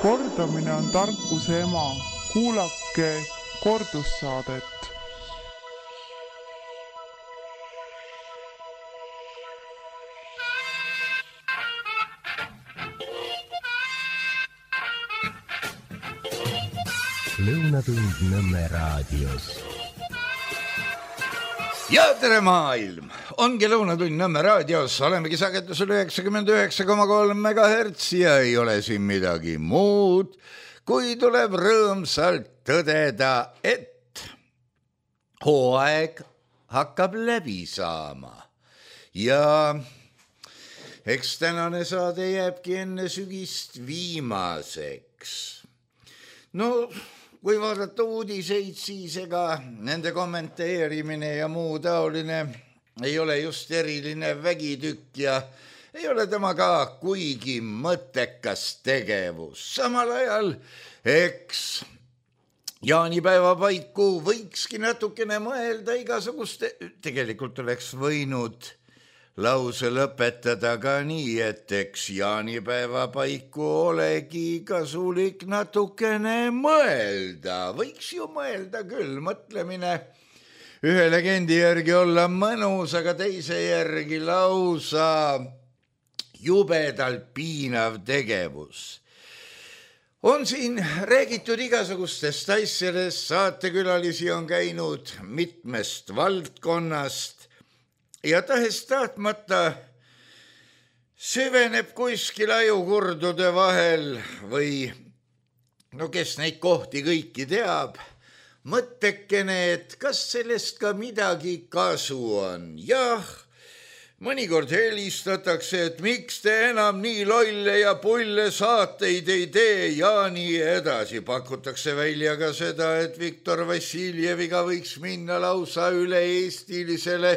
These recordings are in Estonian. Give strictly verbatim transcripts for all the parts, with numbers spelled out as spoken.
Kordamine on tarkuse ema. Kuulake kordussaadet. Lõunatund Nõmme raadios. Ja tere maailm! Ongi Lõunatund Nõmme raadios. Olemegi sagedusel üheksakümmend üheksa koma kolm megahertsi ja ei ole siin midagi muud, kui tuleb rõõmsalt tõdeda, et hooaeg hakkab läbi saama. Ja eks tänane saade jääbki enne sügist viimaseks. No... Kui vaadata uudiseid, siis ega nende kommenteerimine ja muu taoline ei ole just eriline vägitükk ja ei ole tema ka kuigi mõttekas tegevus. Samal ajal, eks jaanipäeva paiku võikski natukene mõelda igasuguste, tegelikult oleks võinud lause lõpetada ka nii, et eks jaanipäeva paiku olegi kasulik natukene mõelda. Võiks ju mõelda küll, mõtlemine ühe legendi järgi olla mõnus, aga teise järgi lausa jubedalt piinav tegevus. On siin räägitud igasugustest asjadest, saatekülalisi on käinud mitmest valdkonnast, ja tahes tahtmata süveneb kuskil ajukurdude vahel või no kes neid kohti kõiki teab, mõttekene, et kas sellest ka midagi kasu on. Jah, mõnikord helistatakse, et miks te enam nii lolle ja pulle saateid ei tee ja nii edasi. Pakutakse välja ka seda, et Viktor Vassiljeviga võiks minna lausa üle eestilisele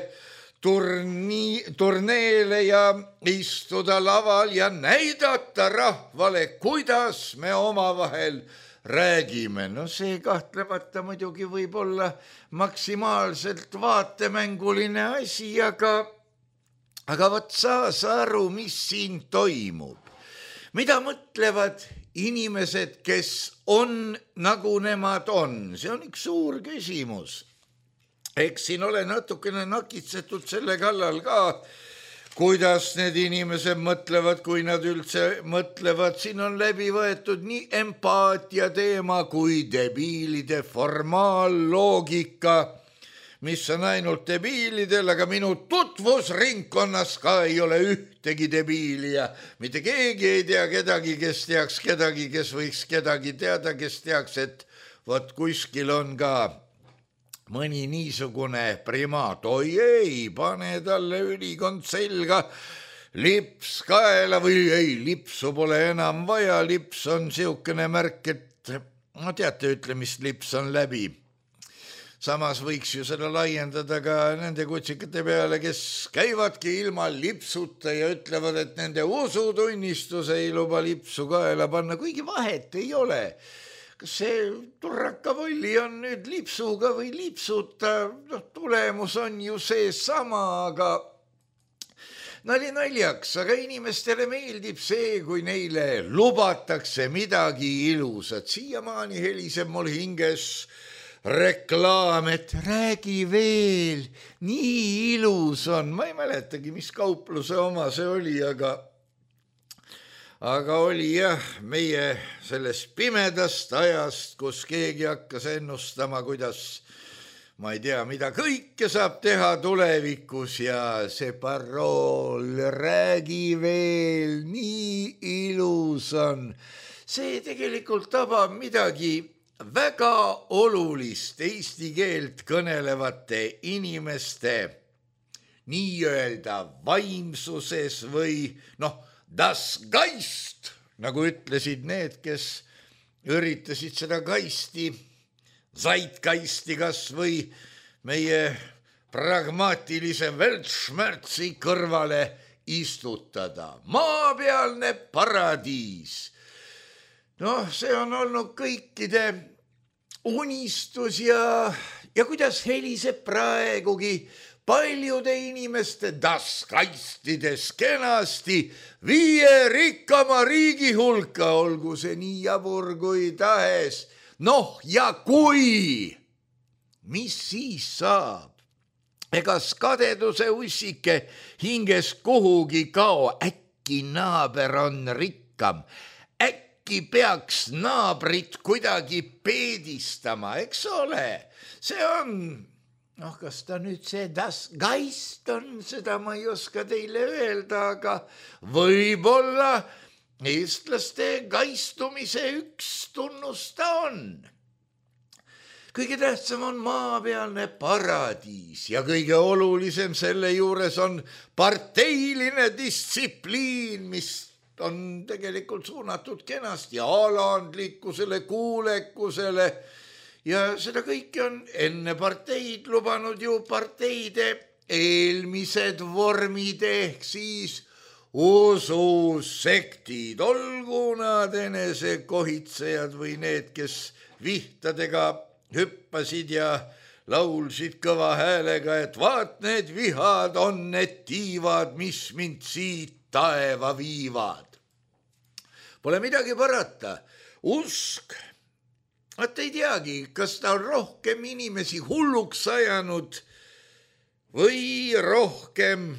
Turni, turneele ja istuda laval ja näidata rahvale, kuidas me omavahel räägime. No see kahtlemata muidugi võib olla maksimaalselt vaatemänguline asi, aga, aga võt saa sa aru, mis siin toimub. Mida mõtlevad inimesed, kes on nagu nemad on? See on üks suur küsimus. Eks siin ole natukene nakitsetud selle kallal ka, kuidas need inimesed mõtlevad, kui nad üldse mõtlevad. Siin on läbi võetud nii empaatia teema kui debiilide formaalloogika, mis on ainult debiilidel, aga minu tutvusringkonnas ka ei ole ühtegi debiili ja mitte keegi ei tea kedagi, kes teaks kedagi, kes võiks kedagi teada, kes teaks, et vot kuskil on ka mõni niisugune primaat, oi ei, pane talle ülikond selga, lips kaela või ei, lipsu pole enam vaja, lips on siukene märk, et no teate, ütlemist lips on läbi. Samas võiks ju seda laiendada ka nende kutsikate peale, kes käivadki ilma lipsuta ja ütlevad, et nende usutunnistus ei luba lipsu kaela panna, kuigi vahet ei ole. Kas see turrakapolli on nüüd lipsuga või lipsuta, no, tulemus on ju see sama, aga nali naljaks, aga inimestele meeldib see, kui neile lubatakse midagi ilusat. Siiamaani heliseb mul hinges reklaam, et räägi veel, nii ilus on. Ma ei mäletagi, mis kaupluse oma see oli, aga Aga oli jah, meie sellest pimedast ajast, kus keegi hakkas ennustama, kuidas, ma ei tea, mida kõike saab teha tulevikus ja see parool, räägi veel, nii ilus on. See tegelikult tabab midagi väga olulist eesti keelt kõnelevate inimeste nii-öelda vaimsuses või noh, Das Geist, nagu ütlesid need, kes üritasid seda kaisti, Zeitgeisti kas või meie pragmaatilise Weltschmerzi kõrvale istutada. Maapealne paradiis. Noh, see on olnud kõikide unistus ja, ja kuidas heliseb praegugi paljude inimeste taskaistides kenasti viie rikkama riigi hulka, olgu see nii jabur kui tahes. Noh, ja kui, mis siis saab? Egas kadeduse ussike hinges kuhugi kao, äkki naaber on rikkam, äkki peaks naabrit kuidagi peedistama, eks ole, see on, noh, kas ta nüüd see das geist on, seda ma ei oska teile öelda, aga võib-olla eestlaste gaistumise üks tunnus ta on. Kõige tähtsam on maapealne paradiis ja kõige olulisem selle juures on parteiline distsipliin, mis on tegelikult suunatud kenasti alandlikkusele, kuulekusele ja seda kõike on enne parteid lubanud ju parteide eelmised vormid ehk siis ususektid, olgu nad enesekohitsejad või need, kes vihtadega hüppasid ja laulsid kõva häälega, et vaat need vihad on need tiivad, mis mind siit taeva viivad. Pole midagi parata, usk, vaat ei teagi, kas ta on rohkem inimesi hulluks ajanud või rohkem,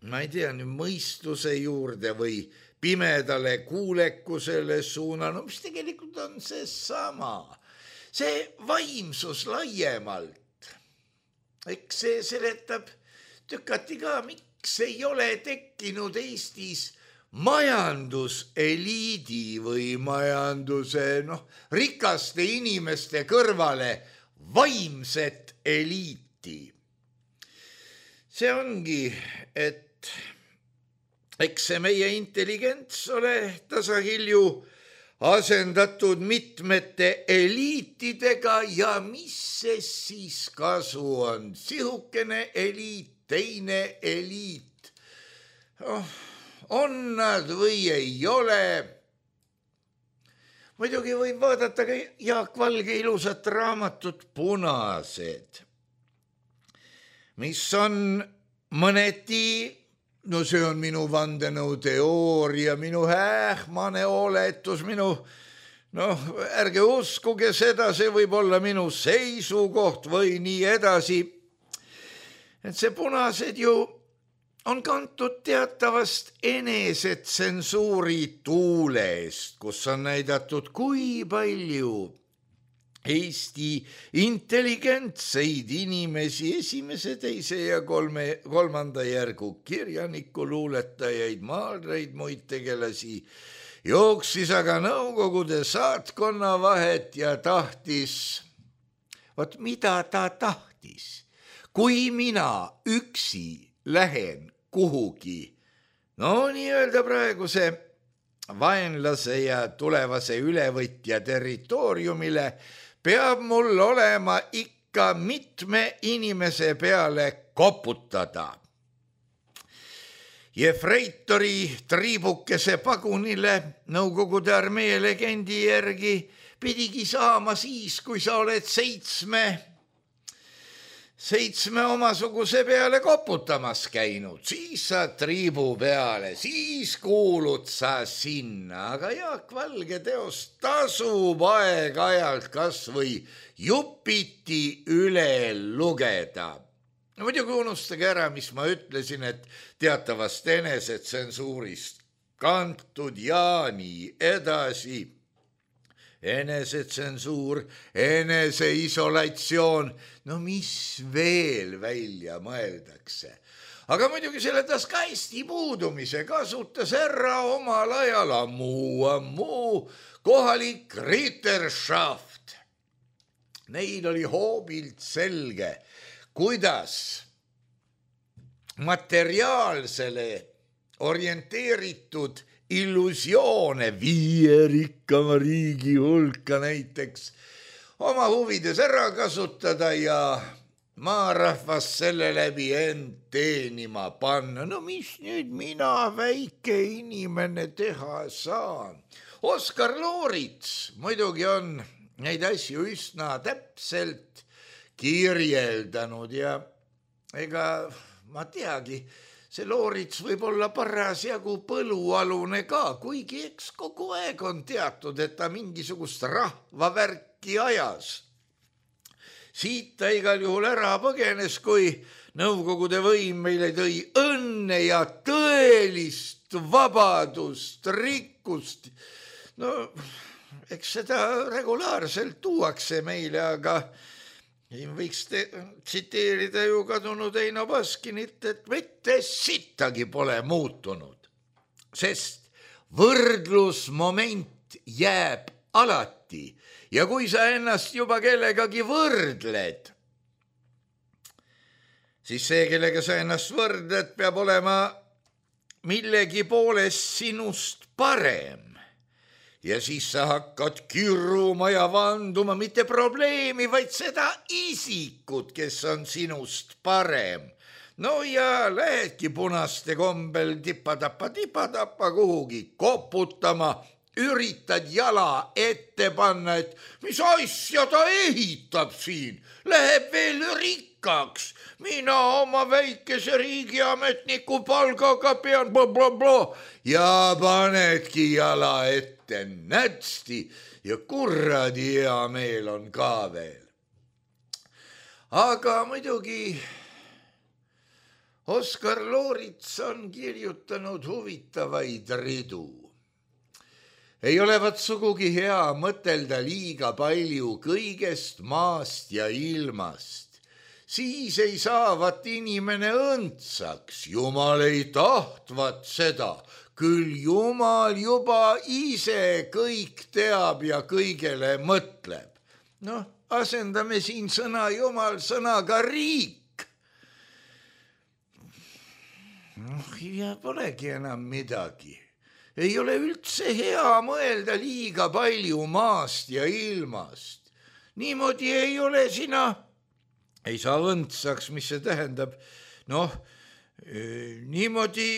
ma ei tea, nüüd mõistuse juurde või pimedale kuulekusele suunanud, mis tegelikult on see sama. See vaimsus laiemalt, eks see seletab tükati ka, miks ei ole tekkinud Eestis majanduseliidi või majanduse noh, rikaste inimeste kõrvale vaimset eliiti. See ongi, et eks see meie intelligents ole tasahilju asendatud mitmete eliitidega ja mis see siis kasu on? Sihukene eliit, teine eliit. Oh, on nad või ei ole? Muidugi võib vaadata ka Jaak Valge ilusat raamatut Punased, mis on mõneti, no see on minu vandenõu teooria, minu hähmane oletus, minu, noh, ärge uskuge seda, see võib olla minu seisukoht või nii edasi. Et see Punased ju on kantud teatavast enesetsensuuri tuulest, kus on näidatud, kui palju Eesti intelligentseid inimesi, esimese, teise ja kolme, kolmanda järgu kirjaniku luuletajaid, maalreid, muid tegelasi, jooksis aga Nõukogude saatkonna vahet ja tahtis, vot mida ta tahtis, kui mina üksi lähen kuhugi, no nii-öelda praeguse vaenlase ja tulevase ülevõtja territooriumile, peab mul olema ikka mitme inimese peale koputada. Jefreitori triibukese pagunile Nõukogude armee legendi järgi pidigi saama siis, kui sa oled seitsme, seitsme omasuguse peale koputamas käinud, siis sa triibu peale, siis kuulud sa sinna, aga Jaak Valge teost tasub aeg-ajalt kas või jupiti üle lugeda. No muidugi unustage ära, mis ma ütlesin, et teatavast enesetsensuurist kantud ja nii edasi. Enesetsensuur, eneseisolatsioon, no mis veel välja mõeldakse. Aga muidugi selle taskaisti puudumise kasutas ära omal ajal ammu, ammu kohalik Ritterschaft. Neil oli hoobilt selge, kuidas materiaalsele orienteeritud illusioone viie rikkama riigi hulka näiteks oma huvides ära kasutada ja maarahvas selle läbi end teenima panna. No mis nüüd mina, väike inimene, teha saan? Oskar Loorits muidugi on neid asju üsna täpselt kirjeldanud ja ega ma teagi, see Loorits võib olla parasjagu põlualune ka, kuigi eks kogu aeg on teatud, et ta mingisugust rahvavärki ajas. Siit ta igal juhul ära põgenes, kui Nõukogude võim meile tõi õnne ja tõelist vabadust, rikkust. No, eks seda regulaarselt tuuakse meile, aga võiks te, tsiteerida ju kadunud Eino Baskinit, et mitte sittagi pole muutunud, sest võrdlusmoment jääb alati ja kui sa ennast juba kellegagi võrdled, siis see, kellega sa ennast võrdled, peab olema millegi poolest sinust parem. Ja siis sa hakkad kirruma ja vanduma mitte probleemi, vaid seda isikut, kes on sinust parem. No ja lähedki punaste kombel tipa-tappa-tipa-tappa kuhugi koputama, üritad jala ette panna, et mis asja ta ehitab siin, läheb veel rikkaks. Mina oma väikese riigiametniku palgaga pean bla-bla-bla ja panedki jala ette nätsti ja kuradi hea meel on ka veel. Aga muidugi Oskar Loorits on kirjutanud huvitavaid ridu. Ei olevat sugugi hea mõtelda liiga palju kõigest maast ja ilmast. Siis ei saavat inimene õndsaks, Jumal ei tahtvat seda, küll Jumal juba ise kõik teab ja kõigele mõtleb. Noh, asendame siin sõna Jumal sõnaga riik. Noh, ja polegi enam midagi. Ei ole üldse hea mõelda liiga palju maast ja ilmast. Niimoodi ei ole sina... Ei saa õndsaks, mis see tähendab. Noh, niimoodi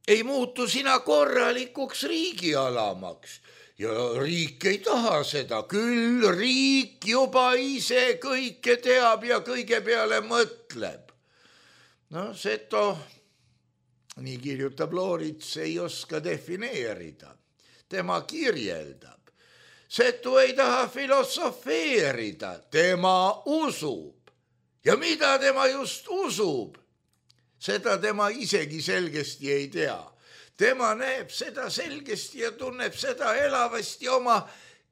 ei muutu sina korralikuks riigialamaks. Ja riik ei taha seda. Küll riik juba ise kõike teab ja kõige peale mõtleb. No, seto, nii kirjutab Loorits, ei oska defineerida. Tema kirjeldab. Setu ei taha filosofeerida, tema usub. Ja mida tema just usub, seda tema isegi selgesti ei tea. Tema näeb seda selgesti ja tunneb seda elavasti oma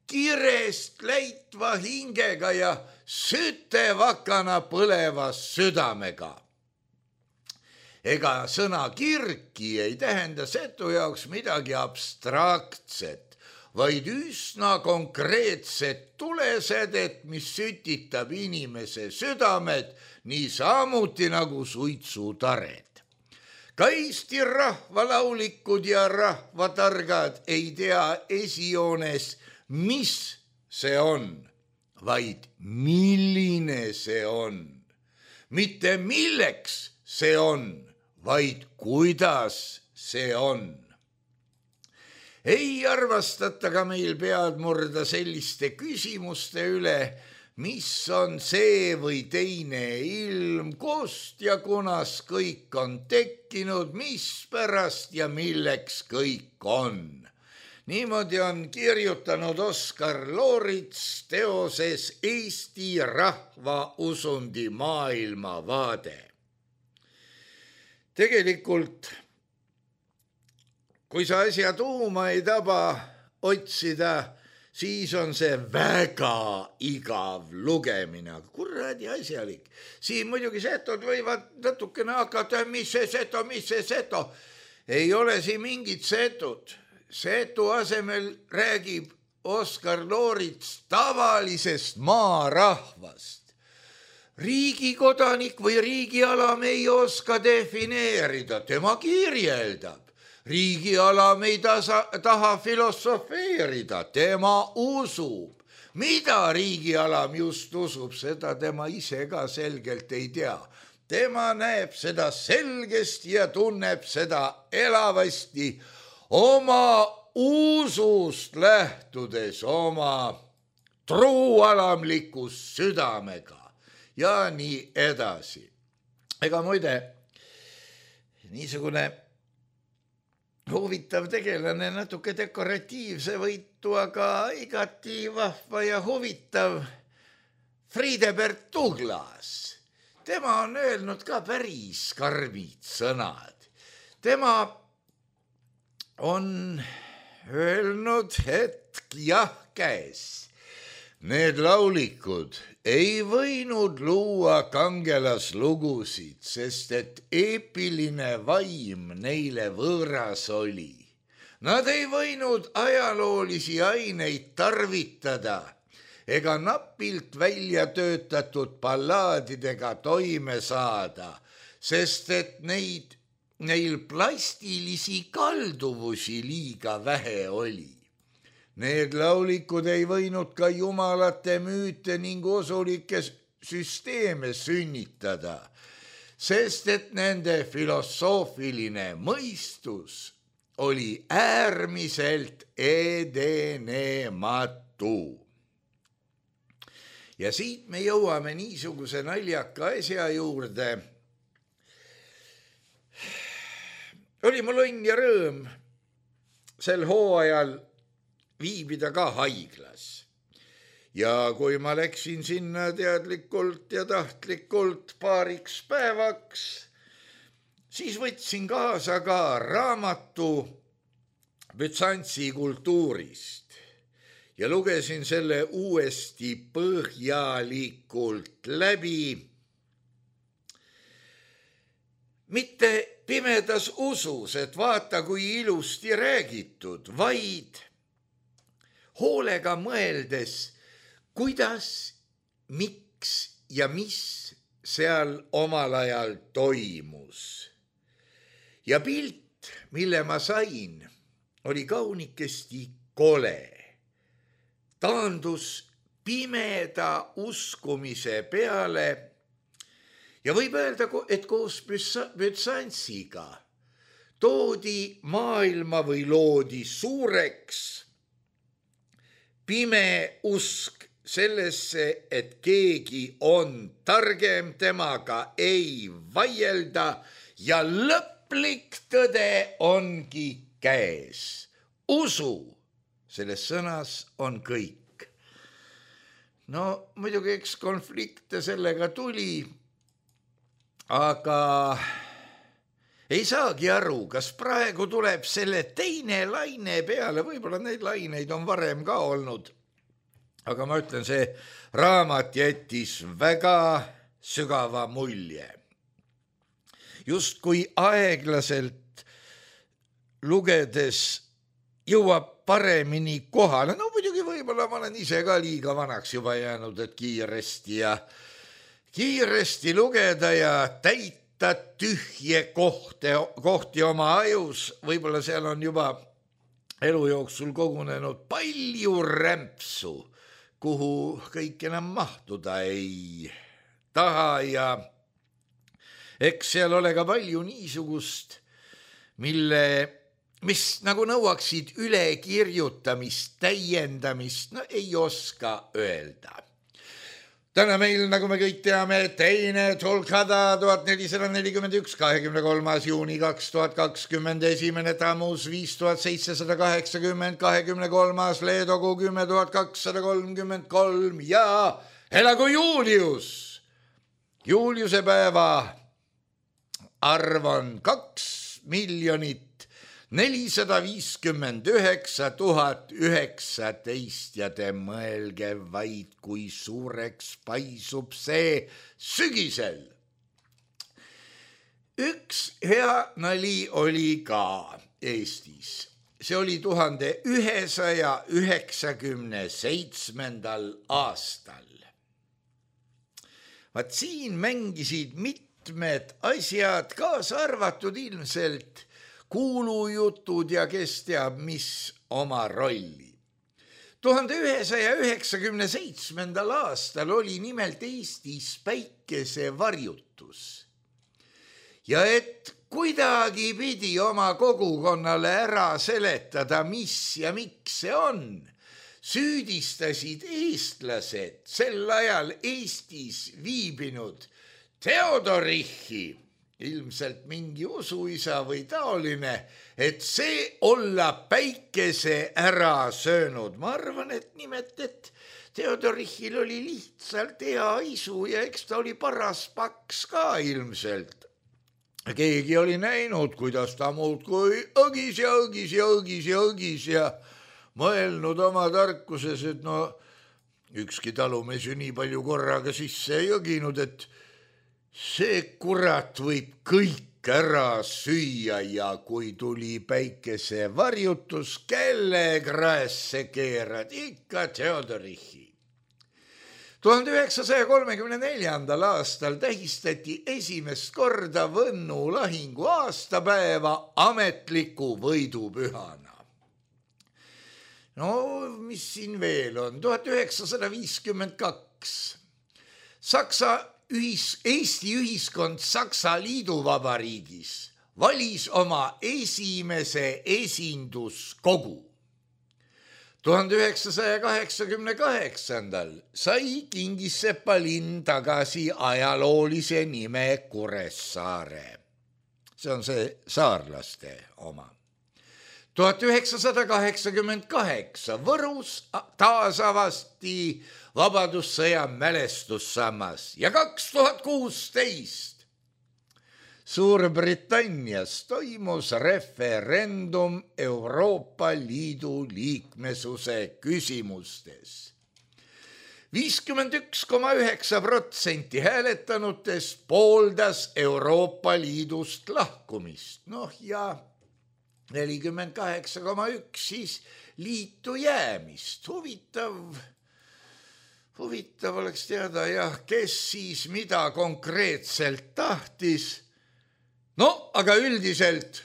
kirest läitva hingega ja sütevakana põleva südamega. Ega sõna kirki ei tähenda setu jaoks midagi abstraktset, vaid üsna konkreetset tulesedet, mis sütitab inimese südamed nii samuti nagu suitsutared. Ka Eesti rahvalaulikud ja rahvatargad ei tea esijoones, mis see on, vaid milline see on. Mitte milleks see on, vaid kuidas see on. Ei arvastata ka meil pead murda selliste küsimuste üle, mis on see või teine ilm, kust ja kunas kõik on tekkinud, mis pärast ja milleks kõik on. Niimoodi on kirjutanud Oskar Loorits teoses Eesti rahva usundi maailmavaade. Tegelikult kui sa asja tuuma ei taba otsida, siis on see väga igav lugemine. Kuradi asjalik. Siin muidugi setod võivad natukene hakata, mis see seto, mis see seto. Ei ole siin mingit setud. Setu asemel räägib Oskar Loorits tavalisest maarahvast. Riigikodanik või riigialam ei oska defineerida, tema kirjeldab. Riigialam ei tasa, taha filosofeerida, tema usub. Mida riigialam just usub, seda tema ise ka selgelt ei tea. Tema näeb seda selgesti ja tunneb seda elavasti oma usust lähtudes, oma truualamlikust südamega. ja nii edasi. Ega muide, niisugune huvitav tegelane, natuke dekoratiivse võitu, aga igati vahva ja huvitav Friedebert Douglas. Tema on öelnud ka päris karmid sõnad. Tema on öelnud, et jah käes. Need laulikud ei võinud luua kangelaslugusid, sest et eepiline vaim neile võõras oli. Nad ei võinud ajaloolisi aineid tarvitada ega napilt välja töötatud ballaadidega toime saada, sest et neid, neil plastilisi kalduvusi liiga vähe oli. Need laulikud ei võinud ka jumalate müüte ning usulikke süsteeme sünnitada, sest et nende filosoofiline mõistus oli äärmiselt edenematu. Ja siit me jõuame niisuguse naljaka asja juurde. Oli mul õnn ja rõõm sel hooajal viibida ka haiglas. Ja kui ma läksin sinna teadlikult ja tahtlikult paariks päevaks, siis võtsin kaasa ka raamatu Bütsantsi kultuurist ja lugesin selle uuesti põhjalikult läbi. Mitte pimedas usus, et vaata kui ilusti räägitud, vaid hoolega mõeldes, kuidas, miks ja mis seal omal ajal toimus. Ja pilt, mille ma sain, oli kaunikesti kole. Taandus pimeda uskumise peale ja võib öelda, et koos Bütsantsiga toodi maailma või loodi suureks pime usk sellesse, et keegi on targem, temaga ei vaielda ja lõplik tõde ongi käes. Usu selles sõnas on kõik. No muidugi eks konflikte sellega tuli, aga ei saagi aru, kas praegu tuleb selle teine laine peale, võib-olla neid laineid on varem ka olnud. Aga ma ütlen, see raamat jättis väga sügava mulje. Just kui aeglaselt lugedes jõuab paremini kohale, no muidugi võib-olla ma olen ise ka liiga vanaks juba jäänud, et kiiresti ja kiiresti lugeda ja täita tühje kohti, kohti oma ajus, võib-olla seal on juba elu jooksul kogunenud palju rämpsu, kuhu kõik enam mahtuda ei taha ja eks seal ole ka palju niisugust, mille, mis nagu nõuaksid ülekirjutamist, täiendamist, no ei oska öelda. Täna meil, nagu me kõik teame, teine Tolkada tuhat nelisada nelikümmend üks, kahekümne kolmas juuni kaks tuhat kakskümmend, esimene Tammuz viis tuhat seitsesada kaheksakümmend, kahekümne kolmas Leedogu kümme tuhat kakssada kolmkümmend kolm ja elagu Julius. Juliuse päeva arv on kaks miljonit nelisada viiskümmend üheksa tuhat üheksateist ja te mõelge vaid, kui suureks paisub see sügisel. Üks hea nali oli ka Eestis. See oli tuhande ühesaja üheksakümne seitsmendal aastal. Vaat siin mängisid mitmed asjad, kaasa arvatud ilmselt kuulujutud ja kes teab, mis oma rolli. tuhande ühesaja üheksakümne seitsmendal aastal oli nimelt Eestis päikesevarjutus. Ja et kuidagi pidi oma kogukonnale ära seletada, mis ja miks see on, süüdistasid eestlased sel ajal Eestis viibinud Theodorichi, ilmselt mingi usuisa või taoline, et see olla päikese ära söönud. Ma arvan, et nimet, et Theodorichil oli lihtsalt hea isu ja eks ta oli paras paks ka ilmselt. Keegi oli näinud, kuidas ta muudkui õgis ja õgis ja õgis ja õgis ja mõelnud oma tarkuses, et no ükski talumees ju nii palju korraga sisse ei õginud, et see kurat võib kõik ära süüa ja kui tuli päikese varjutus, kelle kraesse keerad, ikka Theodorichi. tuhande üheksasaja kolmekümne neljandal aastal tähistati esimest korda Võnnu lahingu aastapäeva ametliku võidupühana. No mis siin veel on? tuhat üheksasada viiskümmend kaks. Saksa ühis, Eesti ühiskond Saksa Liiduvabariigis valis oma esimese esinduskogu. tuhande üheksasaja kaheksakümne kaheksandal sai Kingissepa linn tagasi ajaloolise nime Kuressaare. See on see saarlaste oma. tuhat üheksasada kaheksakümmend kaheksa Võrus taasavasti Vabadussõja mälestussammas ja kaks tuhat kuusteist Suurbritannias toimus referendum Euroopa Liidu liikmesuse küsimustes. viiskümmend üks koma üheksa protsenti hääletanutest pooldas Euroopa Liidust lahkumist. Noh ja nelikümmend kaheksa koma üks siis liitu jäämist. Huvitav, huvitav oleks teada, jah, kes siis mida konkreetselt tahtis. No, aga üldiselt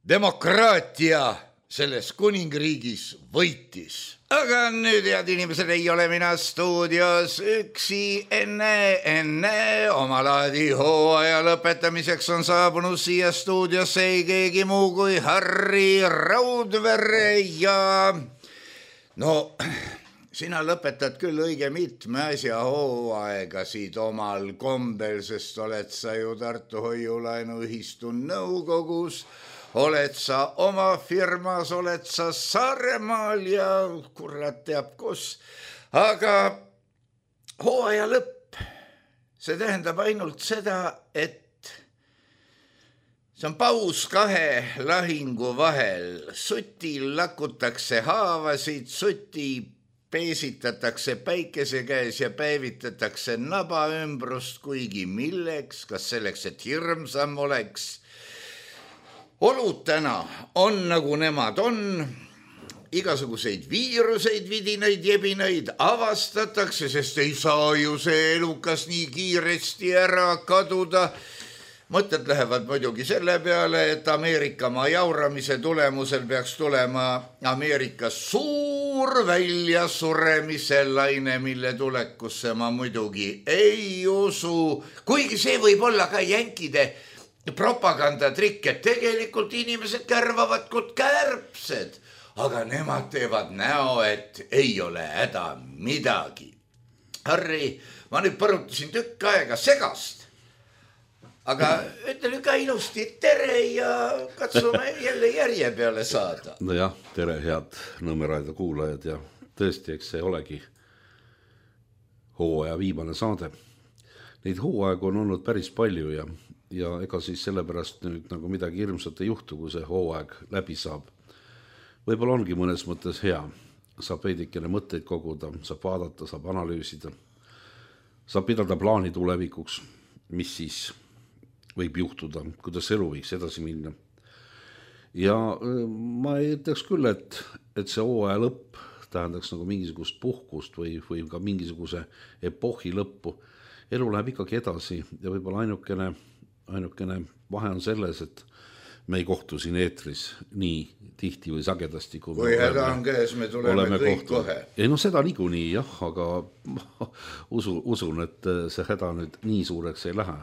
demokraatia selles kuningriigis võitis. Aga nüüd, head inimesed, ei ole mina stuudios üksi. Enne, enne omalaadi hooaja lõpetamiseks on saabunud siia stuudiosse ei keegi muu kui Harri Raudvere ja no sina lõpetad küll õige mitme asja hooaegasid omal kombel, sest oled sa ju Tartu Hoiulaenuühistu nõukogus, oled sa oma firmas, oled sa Saaremaal ja kurat teab kus. Aga hooaja lõpp, see tähendab ainult seda, et see on paus kahe lahingu vahel. Sutil lakutakse haavasid, suti peesitatakse päikese käes ja päevitatakse naba ümbrust, kuigi milleks, kas selleks, et hirmsam oleks. Olud täna on nagu nemad on, igasuguseid viiruseid, vidinaid, jebinaid avastatakse, sest ei saa ju see elukas nii kiiresti ära kaduda. Mõtted lähevad muidugi selle peale, et Ameerikamaa jauramise tulemusel peaks tulema Ameerikas suur väljasuremise laine, mille tulekusse ma muidugi ei usu. Kuigi see võib olla ka jänkide propagandatrikk, et tegelikult inimesed kärvavad kui kärbsed, aga nemad teevad näo, et ei ole häda midagi. Harri, ma nüüd põrutasin tükk aega segast. Aga ütle ka ilusti tere ja katsume jälle järje peale saada. No jah, tere head Nõmmeraida kuulajad ja tõesti, eks see olegi hooaja viimane saade. Neid hooaegu on olnud päris palju ja, ja ega siis sellepärast nüüd nagu midagi hirmsat ei juhtu, kui see hooaeg läbi saab. Võib-olla ongi mõnes mõttes hea. Saab veidikene mõtteid koguda, saab vaadata, saab analüüsida. Saab pidada plaani tulevikuks, mis siis võib juhtuda, kuidas elu võiks edasi minna. Ja ma ei ütleks küll, et, et see hooaja lõpp tähendaks nagu mingisugust puhkust või, või ka mingisuguse epohhi lõppu. Elu läheb ikkagi edasi ja võib-olla ainukene, ainukene vahe on selles, et me ei kohtu siin eetris nii tihti või sagedasti. Kui, kui häda on käes, me tuleme kõik kohtu. Kohe. Ei, no seda niikuinii jah, aga usu, usun, et see häda nüüd nii suureks ei lähe,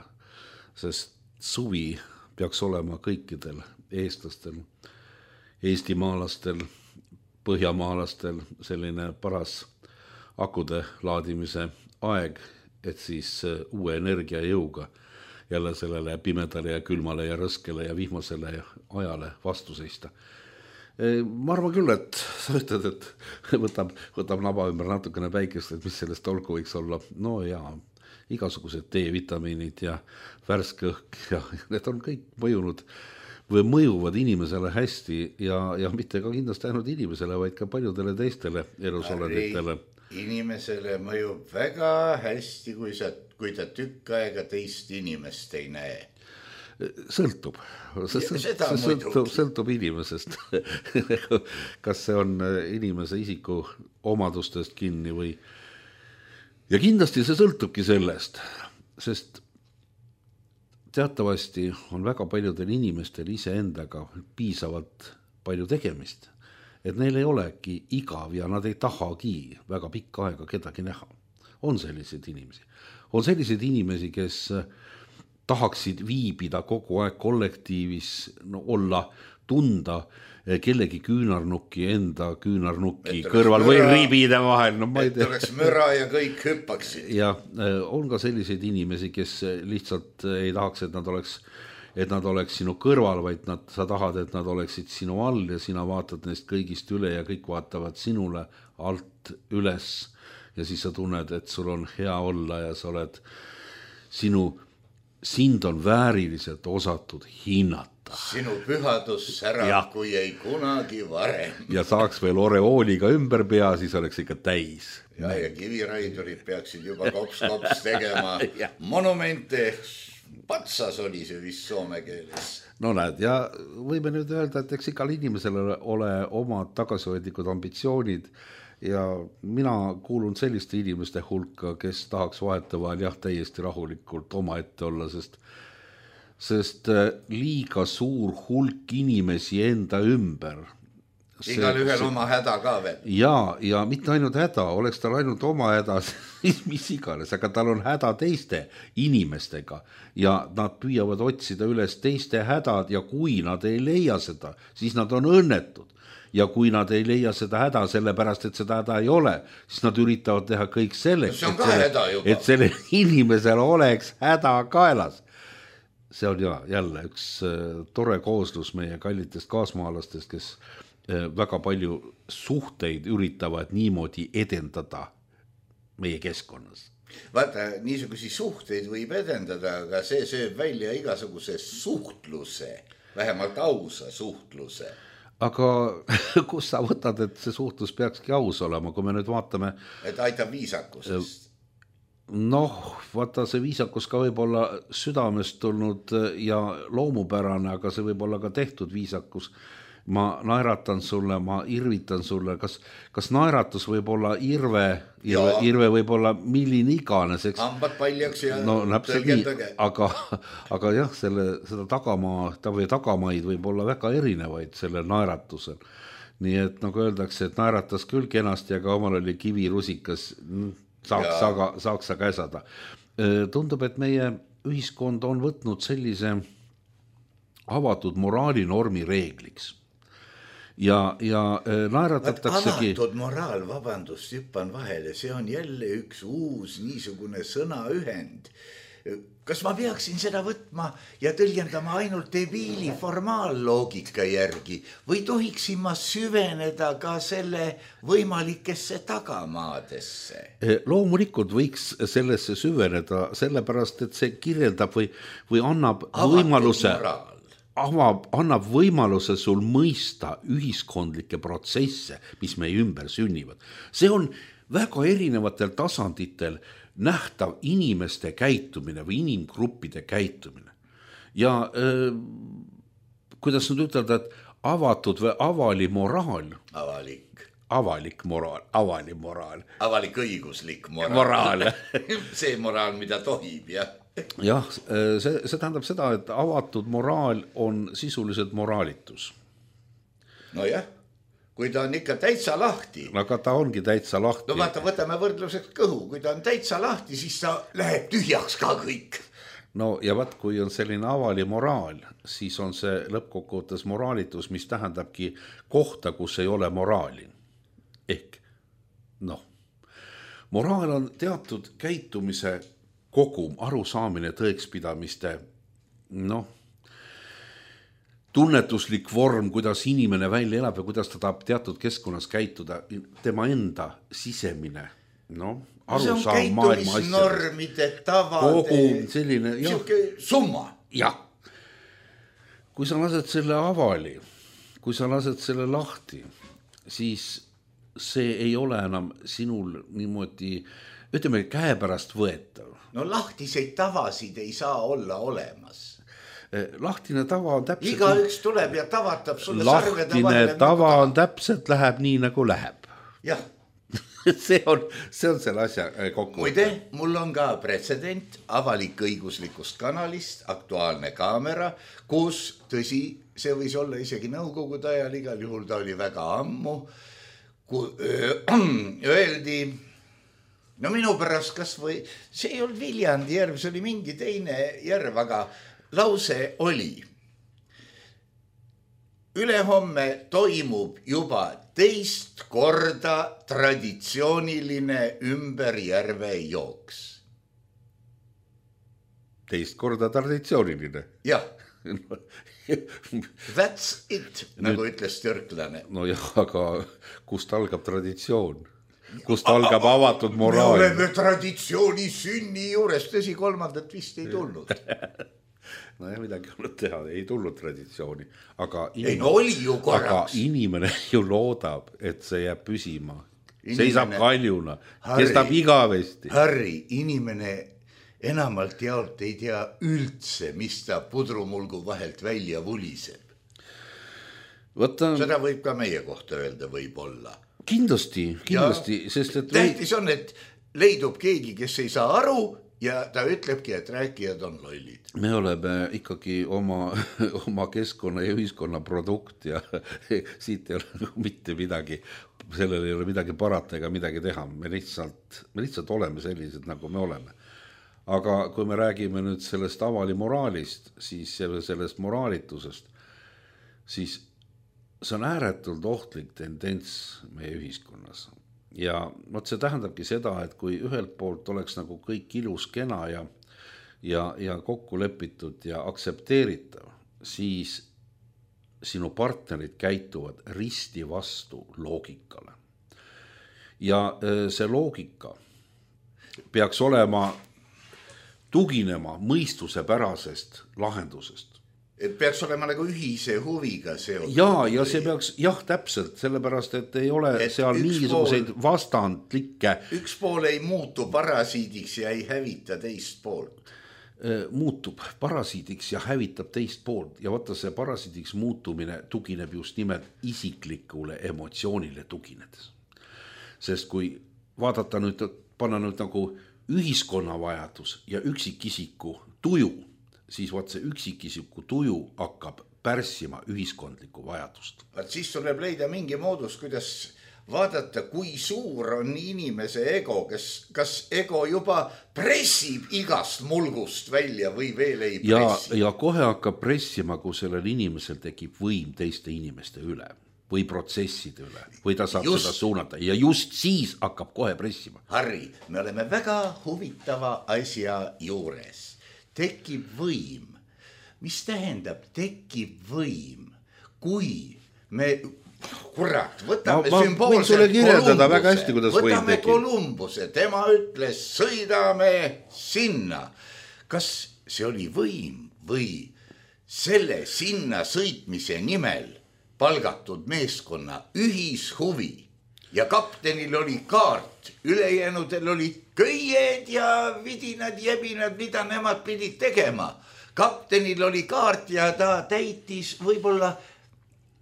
sest suvi peaks olema kõikidel eestlastel, eestimaalastel põhjamaalastel selline paras akude laadimise aeg, et siis uue energia jõuga jälle sellele pimedale ja külmale ja rõskele ja vihmasele ajale vastu seista. Ma arvan küll, et sa ütled, et võtab, võtab naba ümber natukene päikest, et mis sellest olgu võiks olla. No jaa, igasugused D-vitamiinid ja värske õhk ja need on kõik mõjunud või mõjuvad inimesele hästi ja, ja mitte ka kindlasti ainult inimesele, vaid ka paljudele teistele elusolenditele. Inimesele mõjub väga hästi, kui, sa, kui ta tükk aega teist inimest ei näe. Sõltub. See sõltub, sõltub inimesest. Kas see on inimese isiku omadustest kinni või... Ja kindlasti see sõltubki sellest, sest teatavasti on väga paljudel inimestel iseendaga piisavalt palju tegemist, et neil ei olegi igav ja nad ei tahagi väga pikka aega kedagi näha. On selliseid inimesi. On selliseid inimesi, kes tahaksid viibida kogu aeg kollektiivis, no, olla, tunda kellegi küünarnukki enda küünarnukki kõrval müra, või ribide vahel. No, et oleks müra ja kõik hüppaksid. Ja on ka selliseid inimesi, kes lihtsalt ei tahaks, et nad oleks, et nad oleks sinu kõrval, vaid nad, sa tahad, et nad oleksid sinu all ja sina vaatad neist kõigist üle ja kõik vaatavad sinule alt üles ja siis sa tunned, et sul on hea olla ja sa oled sinu sind on vääriliselt osatud hinnata. Sinu pühadus särab, ja. Kui ei kunagi varem. Ja saaks veel oreooliga ümber pea, siis oleks ikka täis. Ja, ja kiviraidurid peaksid juba kops-kops tegema monumente. Patsas oli see vist soome keeles. No näed, ja võime nüüd öelda, et eks igal inimesel ole oma tagasihoidlikud ambitsioonid ja mina kuulun selliste inimeste hulka, kes tahaks vahetevahel jah, täiesti rahulikult oma ette olla, sest, sest liiga suur hulk inimesi enda ümber. Igal ühel oma häda ka veel. Ja, ja mitte ainult häda, oleks tal ainult oma häda, mis iganes, aga tal on häda teiste inimestega ja nad püüavad otsida üles teiste hädad ja kui nad ei leia seda, siis nad on õnnetud. Ja kui nad ei leia seda häda sellepärast, et seda häda ei ole, siis nad üritavad teha kõik selleks, et, selle, et selle inimesel oleks häda kaelas. See on ja, jälle üks tore kooslus meie kallitest kaasmaalastest, kes väga palju suhteid üritavad niimoodi edendada meie keskkonnas. Vaata, niisugusi suhteid võib edendada, aga see sööb välja igasuguse suhtluse, vähemalt ausa suhtluse. Aga kus sa võtad, et see suhtlus peakski aus olema, kui me nüüd vaatame... Et aitab viisakusest. Noh, vaata, see viisakus ka võib olla südamest tulnud ja loomupärane, aga see võib olla ka tehtud viisakus. Ma naeratan sulle, ma irvitan sulle. Kas, kas naeratus võib olla irve, irve, irve võib olla millin iganes? Eks? Hambad paljaks ja no, tõlgendage. Aga, aga jah, selle, seda tagamaa, või tagamaid võib olla väga erinevaid selle naeratusel. Nii et nagu öeldakse, et naeratas küll kenasti, aga omal oli kivirusikas, saaks, aga, saaks sa käsada. Tundub, et meie ühiskond on võtnud sellise avatud moraalinormi reegliks. Ja, ja naeratataksegi... Avatud moraal, vabandust, hüppan vahele, see on jälle üks uus niisugune sõnaühend. Kas ma peaksin seda võtma ja tõlgendama ainult debiili formaalloogika järgi või tohiksin ma süveneda ka selle võimalikesse tagamaadesse? Loomulikult võiks sellesse süveneda, sellepärast, et see kirjeldab või, või annab avatud võimaluse... Moraal. Avab, annab võimaluse sul mõista ühiskondlikke protsesse, mis meie ümber sünnivad. See on väga erinevatel tasanditel nähtav inimeste käitumine või inimgruppide käitumine. Ja äh, kuidas nüüd ütelda, et avatud või avali moraal. Avalik. Avalik moraal, avali moraal. Avalik õiguslik moraal. Moraal. See moraal, mida tohib, jah. Jah, see, see tähendab seda, et avatud moraal on sisuliselt moraalitus. No jah, kui ta on ikka täitsa lahti. Aga ta ongi täitsa lahti. No vaata, võtame võrdluseks kõhu. Kui ta on täitsa lahti, siis ta läheb tühjaks ka kõik. no ja vaat, kui on selline avali moraal, siis on see lõppkokkuvõttes moraalitus, mis tähendabki kohta, kus ei ole moraali. Ehk, noh, moraal on teatud käitumise kogum, arusaamine tõekspidamiste, noh, tunnetuslik vorm, kuidas inimene välja elab ja kuidas ta tahab teatud keskkonnas käituda, tema enda sisemine, noh, arusaam maailma asjadest. Normide, tavade, kogu selline, jah, summa. Jah. Kui sa lased selle avali, kui sa lased selle lahti, siis see ei ole enam sinul niimoodi, ütleme, käepärast võetav. No lahtiseid tavasid ei saa olla olemas. Lahtine tava on täpselt... Iga üks tuleb ja tavatab sulle lahtine sarvede vahele. Tava nagu on täpselt, läheb nii nagu läheb. Jah. see, on, see on selle asja kokku. Muide, mul on ka pretsedent avalik õiguslikust kanalist, Aktuaalne kaamera, kus tõsi, see võis olla isegi nõukogude ajal, igal juhul ta oli väga ammu, kui öeldi, no minu pärast kas või, see ei olnud Viljandi järv, see oli mingi teine järv, aga lause oli. Ülehomme toimub juba teist korda traditsiooniline ümber järve jooks. Teist korda traditsiooniline? Jah. That's it, nagu nüüd, ütles türklane. No jah, aga kust algab traditsioon? Kust algab avatud moraal? Me oleme traditsiooni sünni juures, tõsi kolmandat vist ei tulnud. No ja midagi olnud teha, ei tulnud traditsiooni. Aga inimene, ei, no oli ju korraks. Aga inimene ju loodab, et see jääb püsima. Inimene, seisab kaljuna, kestab igavesti. Harri, inimene enamalt jaolt ei tea üldse, mis ta pudrumulgu vahelt välja vuliseb. Võtta... Seda võib ka meie kohta öelda võib-olla. Kindlasti, kindlasti. Ja sest et tähtis on, et leidub keegi, kes ei saa aru ja ta ütlebki, et rääkijad on lollid. Me oleme ikkagi oma, oma keskkonna ja ühiskonna produkt ja siit ei ole mitte midagi, sellel ei ole midagi parata ega midagi teha. Me lihtsalt, me lihtsalt oleme sellised, nagu me oleme. Aga kui me räägime nüüd sellest avali moraalist, siis sellest moraalitusest, siis see on ääretult ohtlik tendents meie ühiskonnas. Ja võt see tähendabki seda, et kui ühelt poolt oleks nagu kõik ilus kena ja, ja, ja kokku lepitud ja aktsepteeritav, siis sinu partnerid käituvad risti vastu loogikale. Ja see loogika peaks olema tuginema mõistuse pärasest lahendusest. Et peaks olema nagu ühise huviga seotud. Ja, ja see peaks, jah, täpselt, sellepärast, et ei ole et seal mingisuguseid pool, vastandlikke. Üks pool ei muutu parasiidiks ja ei hävita teist poolt. Muutub parasiidiks ja hävitab teist poolt. Ja vaata, see parasiidiks muutumine tugineb just nimelt isiklikule emotsioonile tuginedes. Sest kui vaadata nüüd, panna nüüd nagu ühiskonna vajadus ja üksikisiku tuju, siis vaat see üksikisiku tuju hakkab pärssima ühiskondlikku vajadust. Vaat siis tuleb leida mingi moodus, kuidas vaadata, kui suur on inimese ego, kes, kas ego juba pressib igast mulgust välja või veel ei pressi. Ja, ja kohe hakkab pressima, kui sellel inimesel tekib võim teiste inimeste üle või protsesside üle, või ta saab just, seda suunata ja just siis hakkab kohe pressima. Harri, me oleme väga huvitava asja juures. Tekib võim. Mis tähendab tekib võim? Kui me, kurat, võtame ma, sümboolselt Kolumbuse, väga hästi, võtame Kolumbuse, tema ütles, sõidame sinna. Kas see oli võim või selle sinna sõitmise nimel palgatud meeskonna ühishuvi? Ja kaptenil oli kaart, ülejänudel olid köied ja vidinad, jebinad, mida nemad pidid tegema. Kaptenil oli kaart ja ta täitis võib-olla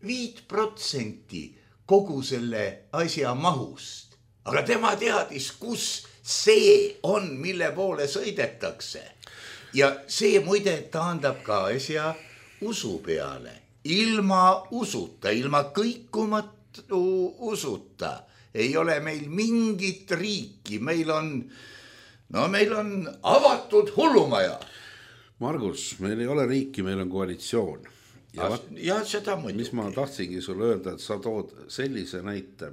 viit protsenti kogu selle asja mahust. Aga tema teadis, kus see on, mille poole sõidetakse. Ja see muide taandab ka asja usu peale. Ilma usuta, ilma kõikumat usuta ei ole meil mingit riiki, meil on, no meil on avatud hullumaja. Margus, meil ei ole riiki, meil on koalitsioon. Ja, ja seda muidugi. Mis ma tahtsingi sulle öelda, et sa tood sellise näite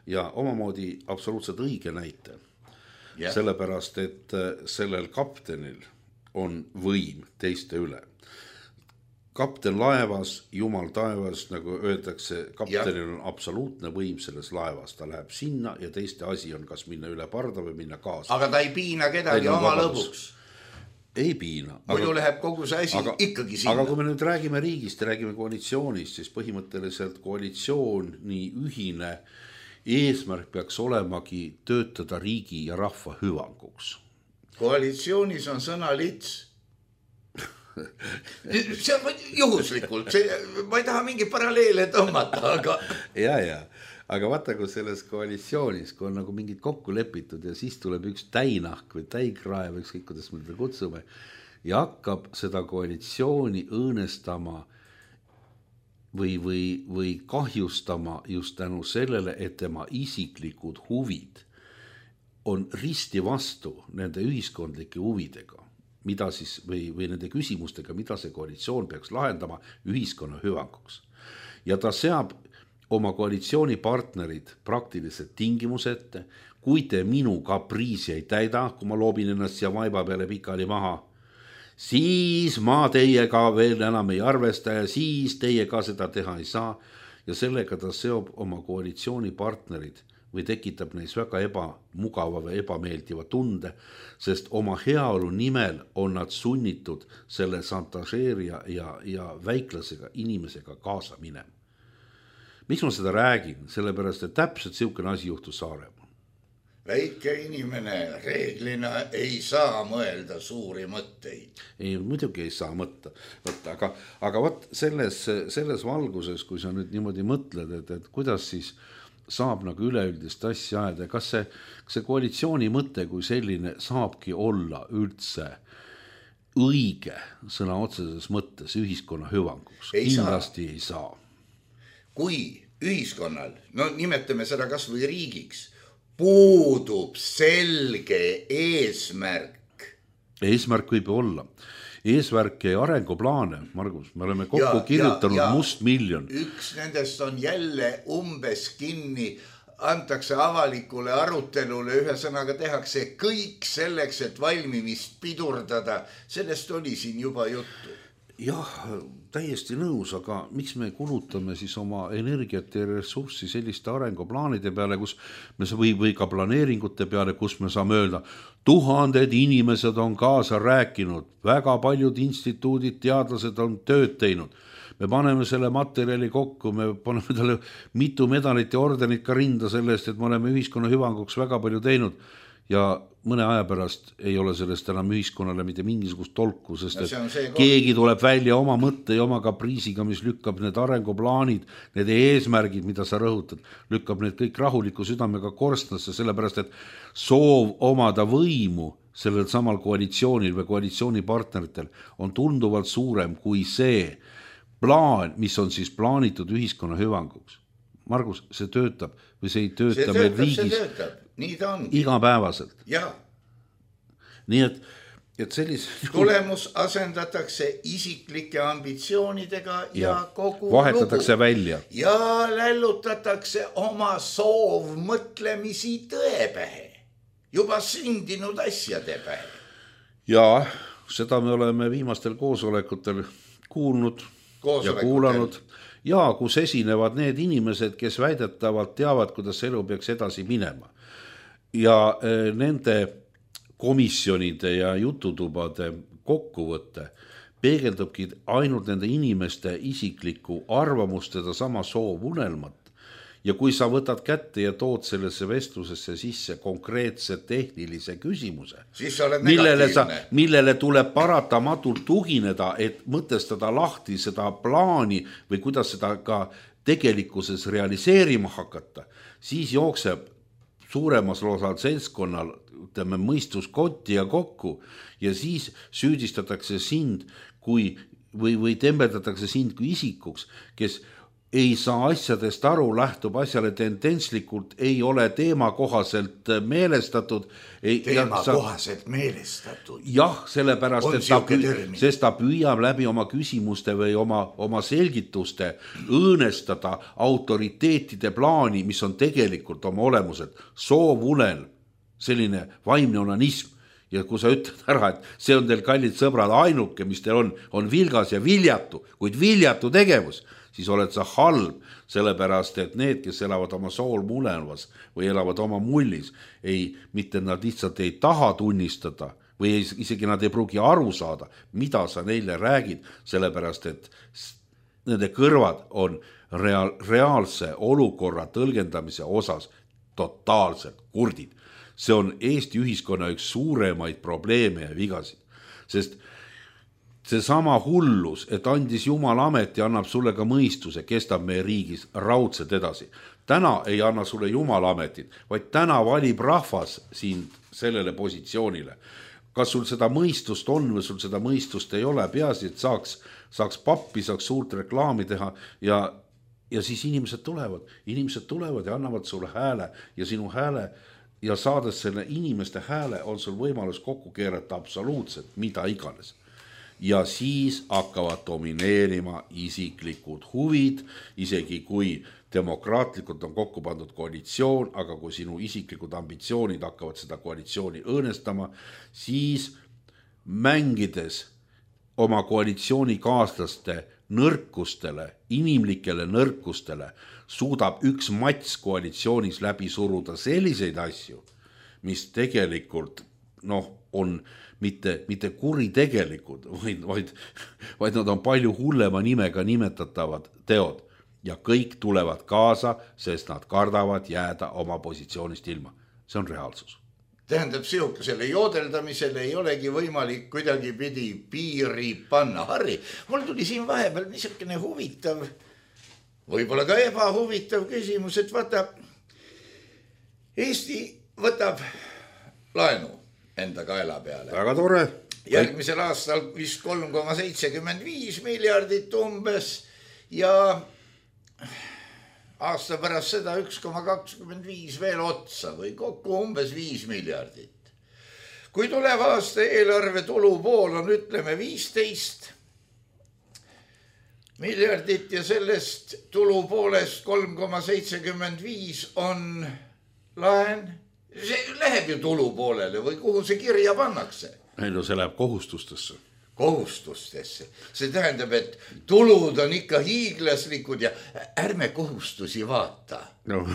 ja omamoodi absoluutselt õige näite. Yeah. Sellepärast, et sellel kaptenil on võim teiste üle. Kapten laevas, jumal taevas, nagu öeldakse, kaptenil yeah. on absoluutne võim selles laevas. Ta läheb sinna ja teiste asi on kas minna üle parda või minna kaasa. Aga ta ei piina kedagi oma lõbuks. Ei piina. Muidu aga, läheb kogu see asi aga, ikkagi sinna. Aga kui me nüüd räägime riigist ja räägime koalitsioonist, siis põhimõtteliselt koalitsioon nii ühine eesmärk peaks olemagi töötada riigi ja rahva hüvanguks. Koalitsioonis on sõna lits. See on juhuslikult. See, ma ei taha mingi paralleele tõmmata, aga... Ja, ja. Aga vaata, kui selles koalitsioonis, kui on nagu mingid kokku lepitud ja siis tuleb üks täinahk või täigraev, ükskõik kuidas me teda kutsume, ja hakkab seda koalitsiooni õõnestama või, või, või kahjustama just tänu sellele, et tema isiklikud huvid on risti vastu nende ühiskondlike huvidega, mida siis, või, või nende küsimustega, mida see koalitsioon peaks lahendama ühiskonna hüvanguks. Ja ta seab oma koalitsioonipartnerid praktiliselt tingimusette, kui te minu kapriisi ei täida, kui ma loobin ennast siia vaiba peale pikali maha, siis ma teiega veel enam ei arvesta ja siis teie ka seda teha ei saa. Ja sellega ta seob oma koalitsioonipartnerid või tekitab neis väga ebamugava või ebameeldiva tunde, sest oma heaolu nimel on nad sunnitud selle santažeerija ja, ja väiklasega inimesega kaasa minema. Miks ma seda räägin? Sellepärast, et täpselt siukene asi juhtus Saaremaal. Väike inimene reeglina ei saa mõelda suuri mõtteid. Ei, muidugi ei saa mõtta. Võtta, aga, aga võt, selles, selles valguses, kui sa nüüd niimoodi mõtled, et, et kuidas siis saab nagu üleüldist asja ajada, kas see, see koalitsiooni mõte kui selline saabki olla üldse õige sõna otseses mõttes ühiskonna hüvanguks? Ei Kindlasti saa. ei saa. Kui ühiskonnal, no nimetame seda kas või riigiks, puudub selge eesmärk. Eesmärk võib olla. Eesmärk ja arenguplaane, Margus, me oleme kokku ja, kirjutanud ja, ja must miljon. Üks nendest on jälle umbes kinni, antakse avalikule arutelule, ühesõnaga tehakse kõik selleks, et valmimist pidurdada. Sellest oli siin juba juttu. Jah, täiesti nõus, aga miks me kulutame siis oma energiat ja ressurssi selliste arenguplaanide peale, kus me või, või ka planeeringute peale, kus me saame öelda, tuhanded inimesed on kaasa rääkinud, väga paljud instituudid, teadlased on tööd teinud. Me paneme selle materjali kokku, me paneme talle mitu medalit ja ordenit ka rinda sellest, et me oleme ühiskonna hüvanguks väga palju teinud. Ja mõne aja pärast ei ole sellest enam ühiskonnale mitte mingisugust tolku, sest et keegi tuleb välja oma mõtte ja oma kapriisiga, mis lükkab need arenguplaanid, need eesmärgid, mida sa rõhutad, lükkab need kõik rahuliku südamega korstnasse, sellepärast et soov omada võimu sellel samal koalitsioonil või koalitsioonipartneritel on tunduvalt suurem kui see plaan, mis on siis plaanitud ühiskonna hüvanguks. Margus, see töötab või see ei tööta see meil töötab, riigis. See töötab. Nii ta ongi. Igapäevaselt. Ja. Nii et, et sellis... Tulemus asendatakse isiklike ambitsioonidega ja, ja kogu vahetatakse lugu. Välja. Ja lällutatakse oma soov mõtlemisi tõepähe. Juba sündinud asjade pähe. Ja seda me oleme viimastel koosolekutel kuulnud ja kuulanud. Ja kus esinevad need inimesed, kes väidetavalt teavad, kuidas elu peaks edasi minema. Ja nende komisjonide ja jututubade kokkuvõtte peegeldubki ainult nende inimeste isikliku arvamust, seda sama soov unelmat. Ja kui sa võtad kätte ja tood sellesse vestlusesse sisse konkreetse tehnilise küsimuse, millele, sa, millele tuleb paratamatult tugineda, et mõtestada lahti seda plaani või kuidas seda ka tegelikkuses realiseerima hakata, siis jookseb suuremas osal seltskonnal ütleme, mõistus kotti ja kokku ja siis süüdistatakse sind kui, või, või tembeldatakse sind kui isikuks, kes ei saa asjadest aru, lähtub asjale tendentslikult, ei ole teemakohaselt meelestatud. Teemakohaselt meelestatud. Jah, sellepärast, et ta, püü, sest ta püüab läbi oma küsimuste või oma, oma selgituste õõnestada autoriteetide plaani, mis on tegelikult oma olemuselt soovunel, selline vaimne onanism. Ja kui sa ütled ära, et see on teil kallid sõbrad ainuke, mis teil on, on vilgas ja viljatu, kuid viljatu tegevus, siis oled sa halb, sellepärast, et need, kes elavad oma sool mulevas või elavad oma mullis, ei, mitte nad lihtsalt ei taha tunnistada või ei, isegi nad ei pruugi aru saada, mida sa neile räägid, sellepärast, et nende kõrvad on reaal, reaalse olukorra tõlgendamise osas totaalselt kurdid. See on Eesti ühiskonna üks suuremaid probleeme ja vigasid, sest see sama hullus, et andis Jumal amet ja annab sulle ka mõistuse, kestab meie riigis raudselt edasi. Täna ei anna sulle Jumal ametit, vaid täna valib rahvas sind sellele positsioonile. Kas sul seda mõistust on või sul seda mõistust ei ole, peaasi, et saaks, saaks pappi, saaks suurt reklaami teha ja, ja siis inimesed tulevad. Inimesed tulevad ja annavad sulle hääle ja sinu hääle ja saades selle inimeste hääle on sul võimalus kokku keerata absoluutselt mida iganes. Ja siis hakkavad domineerima isiklikud huvid, isegi kui demokraatlikult on kokku pandud koalitsioon, aga kui sinu isiklikud ambitsioonid hakkavad seda koalitsiooni õõnestama, siis mängides oma koalitsioonikaaslaste nõrkustele, inimlikele nõrkustele, suudab üks mats koalitsioonis läbi suruda selliseid asju, mis tegelikult noh, on mitte, mitte kuritegelikud, vaid, vaid, vaid nad on palju hullema nimega nimetatavad teod ja kõik tulevad kaasa, sest nad kardavad jääda oma positsioonist ilma. See on reaalsus. Tähendab, sihukesele joodeldamisele ei olegi võimalik kuidagi pidi piiri panna. Harri, mul tuli siin vahepeal niisugune huvitav, võib-olla ka ebahuvitav küsimus, et vaata, Eesti võtab laenu enda kaela peale. Väga tore. Järgmisel aastal vist kolm koma seitsekümmend viis miljardit umbes ja aasta pärast seda üks koma kakskümmend viis veel otsa või kokku umbes viis miljardit. Kui tulev aasta eelarve tulupool on, ütleme, viisteist miljardit ja sellest tulupoolest kolm koma seitsekümmend viis on laen, see läheb ju tulupoolele või kuhu see kirja pannakse? Ei, no see läheb kohustustesse. Kohustustesse. See tähendab, et tulud on ikka hiiglaslikud ja ärme kohustusi vaata. No.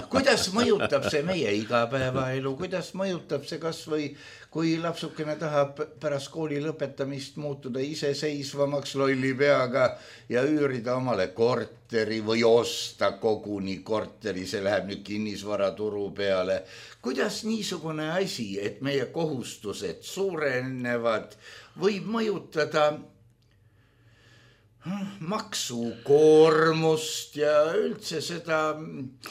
Kuidas mõjutab see meie igapäevaelu, kuidas mõjutab see kas või kui lapsukene tahab pärast kooli lõpetamist muutuda iseseisvamaks lolli peaga ja üürida omale korteri või osta koguni korteri, see läheb nüüd kinnisvaraturu peale. Kuidas niisugune asi, et meie kohustused suurenevad, võib mõjutada maksukoormust ja üldse seda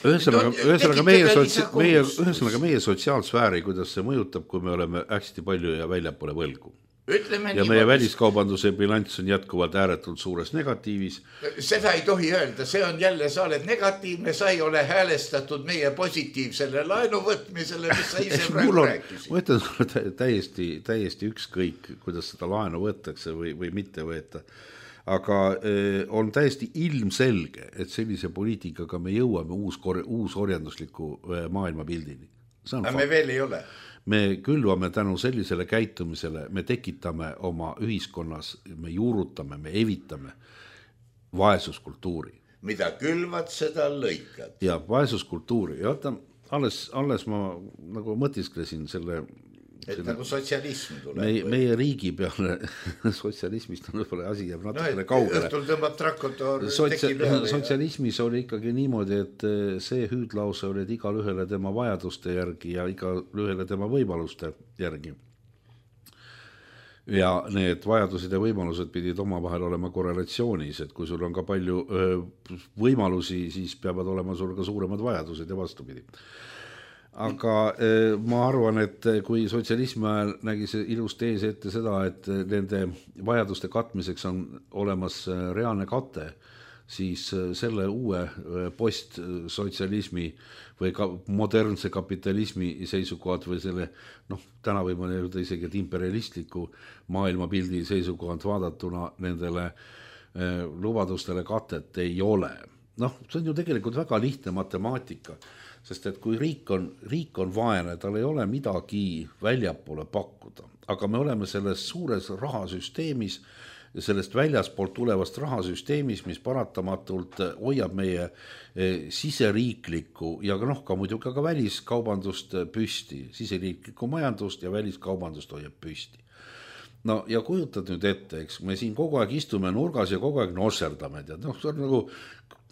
ühesõnaga, ühesõnaga, meie, sotsi, meie, ühesõnaga meie sotsiaalsfääri, kuidas see mõjutab, kui me oleme hästi palju ja väljapoole võlgu. Ütleme ja nii, meie väliskaubanduse bilanss on jätkuvalt ääretult suures negatiivis. Seda ei tohi öelda, see on jälle, sa oled negatiivne, sa ei ole häälestatud meie positiivsele laenu võtmisele, mis sa ise praegu rääkisid. Ma ütlen sulle täiesti, täiesti ükskõik, kuidas seda laenu võetakse või, või mitte võeta. Aga on täiesti ilmselge, et sellise poliitikaga me jõuame uus, uus orjandusliku maailmapildini. Aga me veel ei ole. Me külvame tänu sellisele käitumisele, me tekitame oma ühiskonnas, me juurutame, me evitame vaesuskultuuri. Mida külvad, seda lõikad. Ja vaesuskultuuri. Ja vaata, alles, alles ma nagu mõtisklesin selle... Et selle, nagu sotsialism tuleb. Meie, meie riigi peale sotsialismist on võib-olla asi jääb natukene no, kaugele. Õhtul tõmbab trakotor Sotsia, sotsialismis ja... oli ikkagi niimoodi, et see hüüdlause oli, et igal ühele tema vajaduste järgi ja igal ühele tema võimaluste järgi. Ja need vajadused ja võimalused pidid oma vahel olema korrelatsioonis, et kui sul on ka palju võimalusi, siis peavad olema sul ka suuremad vajadused ja vastupidi. Aga ma arvan, et kui sotsialismi ajal nägi see ilus tees ette seda, et nende vajaduste katmiseks on olemas reaalne kate, siis selle uue postsotsialismi või ka modernse kapitalismi seisukohad või selle, noh, täna võib ma öelda isegi, et imperialistliku maailmapildi seisukohad vaadatuna nendele lubadustele katet ei ole. Noh, see on ju tegelikult väga lihtne matemaatika, sest et kui riik on, riik on vaene, tal ei ole midagi väljapoole pakkuda, aga me oleme selles suures rahasüsteemis ja sellest väljaspoolt tulevast rahasüsteemis, mis paratamatult hoiab meie siseriiklikku ja noh, ka muidugi ka väliskaubandust püsti, siseriiklikku majandust ja väliskaubandust hoiab püsti. No ja kujutad nüüd ette, eks me siin kogu aeg istume nurgas ja kogu aeg nosserdame, tead, noh, see on nagu,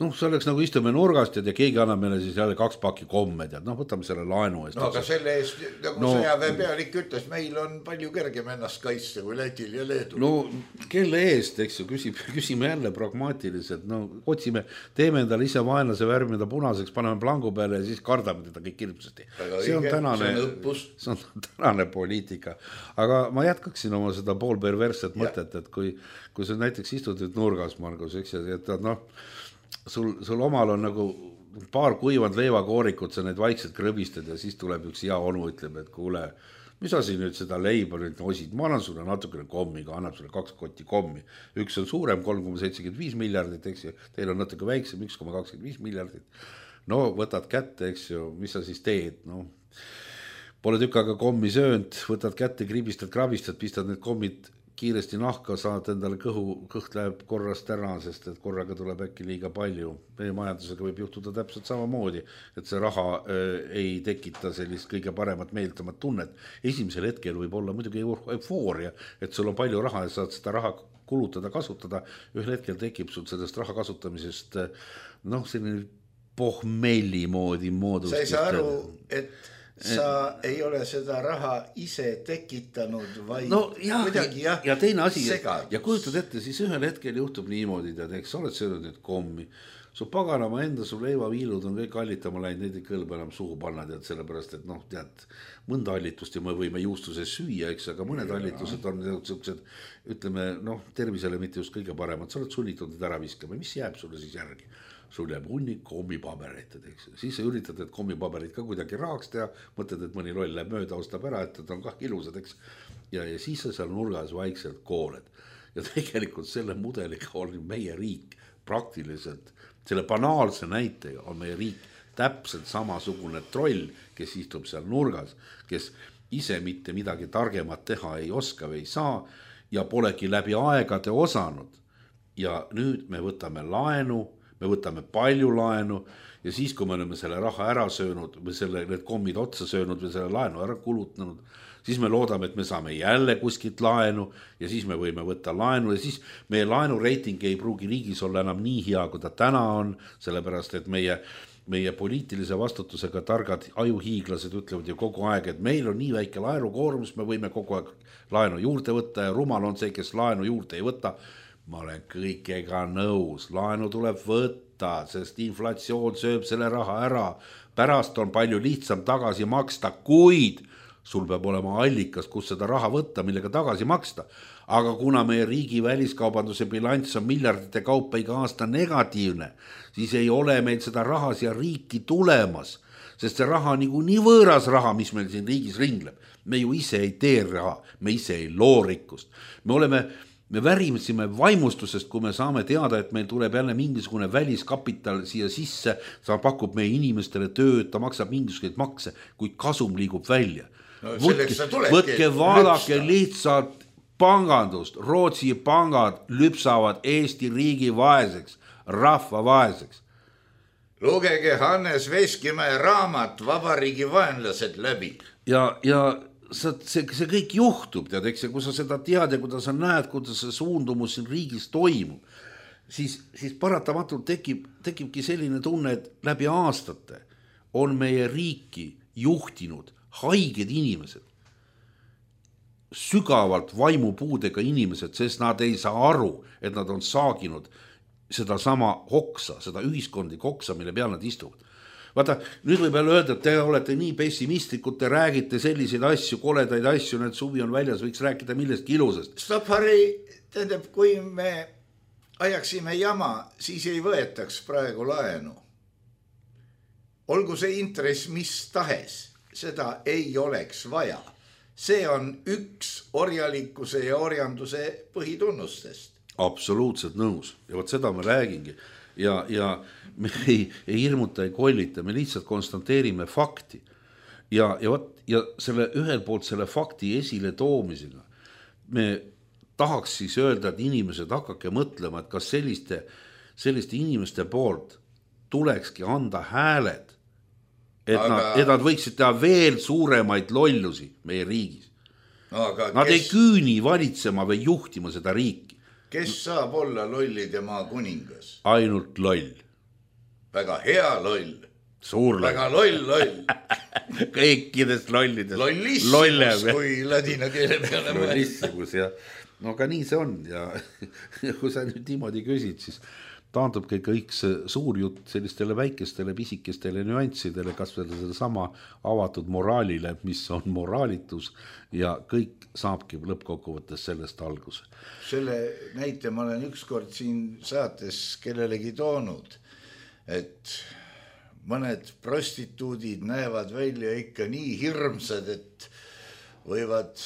noh, see oleks nagu istume nurgast ja keegi annab meile siis jälle kaks pakki komme, tead, noh, võtame selle laenu eest. No aga selle eest, nagu no, sõjaväe pealik ütles, meil on palju kergem ennast kaitsta kui Lätil ja Leedul. No kelle eest, eks ju, küsib, küsime jälle pragmaatiliselt, no otsime, teeme endale ise vaenlase värmida punaseks, paneme plangu peale ja siis kardame teda kõik ilmsesti. See on tänane, see on tänane poliitika. Aga ma jätkaksin oma seda pool perverset mõtet, et kui, kui sa näiteks istud nüüd nurgas, Margus, eks, et noh, sul, sul omal on nagu paar kuivand leivakoorikut, sa need vaikselt krõbistad ja siis tuleb üks hea onu, ütleb, et kuule, mis asi nüüd seda leiba nüüd osid, ma annan sulle natukene kommiga, annab sulle kaks kotti kommi, üks on suurem, kolm koma seitsekümmend viis miljardit, eks ju, teil on natuke väiksem, üks koma kakskümmend viis miljardit, no võtad kätte, eks ju, mis sa siis teed, no pole tükk aega kommi söönud, võtad kätte, kribistad, krabistad, pistad need kommid kiiresti nahka, saad endale kõhu, kõht läheb korrast ära, sest et korraga tuleb äkki liiga palju. Meie majandusega võib juhtuda täpselt samamoodi, et see raha äh, ei tekita sellist kõige paremat meeldamat tunnet. Esimesel hetkel võib olla muidugi eufooria, et sul on palju raha ja saad seda raha kulutada, kasutada. Ühel hetkel tekib sul sellest raha kasutamisest noh, selline pohmelli moodi moodust. Sa ei saa aru, et sa ei ole seda raha ise tekitanud, vaid no, ja, kuidagi jah, ja teine asi, segadus. Ja kujutad ette, siis ühel hetkel juhtub niimoodi, tead, eks sa oled söönud nüüd kommi, su paganama enda, su leivaviilud on kõik hallitama läinud, neid ei kõlba enam suhu panna, tead, sellepärast, et noh, tead, mõnda hallitust ja me võime juustuse süüa, eks, aga mõned hallitused on sellised, ütleme, noh, tervisele mitte just kõige paremad, sa oled sunnitud need ära viskama, mis jääb sulle siis järgi? Sul jääb hunnik kommipabereid, eks. Siis sa üritad, et kommipaberid ka kuidagi rahaks teha, mõtled, et mõni loll läheb mööda, ostab ära, et ta on kah ilusad, eks. Ja, ja siis sa seal nurgas vaikselt kooled. Ja tegelikult selle mudeliga on meie riik praktiliselt, selle banaalse näitega on meie riik täpselt samasugune troll, kes istub seal nurgas, kes ise mitte midagi targemat teha ei oska või ei saa ja polegi läbi aegade osanud. Ja nüüd me võtame laenu, me võtame palju laenu ja siis, kui me oleme selle raha ära söönud või selle, need kommid otsa söönud või selle laenu ära kulutanud, siis me loodame, et me saame jälle kuskilt laenu ja siis me võime võtta laenu ja siis meie laenureiting ei pruugi riigis olla enam nii hea, kui ta täna on, sellepärast, et meie, meie poliitilise vastutusega targad ajuhiiglased ütlevad ju kogu aeg, et meil on nii väike laenukoormus, me võime kogu aeg laenu juurde võtta ja rumal on see, kes laenu juurde ei võta. Ma olen kõikega nõus, laenu tuleb võtta, sest inflatsioon sööb selle raha ära, pärast on palju lihtsam tagasi maksta, kuid sul peab olema allikas, kus seda raha võtta, millega tagasi maksta. Aga kuna meie riigi väliskaubanduse bilanss on miljardite kaupa iga aasta negatiivne, siis ei ole meil seda raha siia riiki tulemas, sest see raha on nagu nii võõras raha, mis meil siin riigis ringleb. Me ju ise ei tee raha, me ise ei loo rikkust. Me oleme... Me värimsime vaimustusest, kui me saame teada, et meil tuleb jälle mingisugune väliskapital siia sisse, ta pakub meie inimestele tööd, ta maksab mingisuguseid makse, kuid kasum liigub välja. No, võtke, võtke vaadake lihtsalt pangandust, Rootsi pangad lüpsavad Eesti riigi vaeseks, rahva vaeseks. Lugege Hannes Veskimäe raamat Vabariigi vaenlased läbi. Ja, ja See, see, see kõik juhtub, tead, eks, ja kui sa seda tead ja kuidas sa näed, kuidas see suundumus siin riigis toimub, siis, siis paratamatult tekib, tekibki selline tunne, et läbi aastate on meie riiki juhtinud haiged inimesed, sügavalt vaimupuudega inimesed, sest nad ei saa aru, et nad on saaginud seda sama oksa, seda ühiskondlik oksa, mille peal nad istuvad. Vaata, nüüd võib jälle öelda, et te olete nii pessimistlikud, te räägite selliseid asju, koledaid asju, need suvi on väljas, võiks rääkida millestki ilusast. Stop, Harri, tähendab, kui me ajaksime jama, siis ei võetaks praegu laenu. Olgu see intress mis tahes, seda ei oleks vaja. See on üks orjalikkuse ja orjanduse põhitunnustest. Absoluutselt nõus ja vot seda ma räägingi ja, ja me ei, ei hirmuta, ei kollita, me lihtsalt konstanteerime fakti ja, ja, võt, ja selle ühel poolt selle fakti esile toomisega me tahaks siis öelda, et inimesed hakake mõtlema, et kas selliste, selliste inimeste poolt tulekski anda hääled, et, aga... nad, et nad võiksid teha veel suuremaid lollusi meie riigis. No, aga nad kes... ei küüni valitsema või juhtima seda riiki. Kes saab olla lollide maa kuningas? Ainult loll. Väga hea loll. Suur loll. Väga loll loll. Kõikidest lollidest. Lollissimus, kui ladina keele peale. Lollissimus, jah. No aga nii see on ja kui sa nüüd niimoodi küsid, siis taandubki kõik see suur jutt sellistele väikestele pisikestele nüanssidele, kas veel selle sama avatud moraalile, mis on moraalitus ja kõik saabki lõppkokkuvõttes sellest alguse. Selle näite ma olen ükskord siin saates kellelegi toonud, et mõned prostituudid näevad välja ikka nii hirmsad, et võivad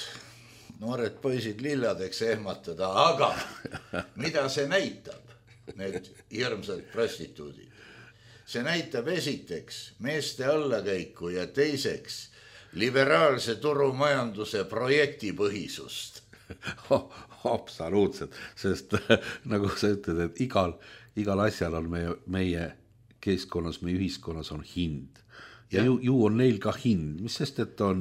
noored poisid lilladeks ehmatada, aga mida see näitab? Need hirmsad prostituudid. See näitab esiteks meeste allakäiku ja teiseks liberaalse turumajanduse projektipõhisust. Absoluutselt, sest nagu sa ütled, et igal, igal asjal on meie, meie keskkonnas, meie ühiskonnas on hind. Ja, ja ju, ju on neil ka hind, mis sest, et on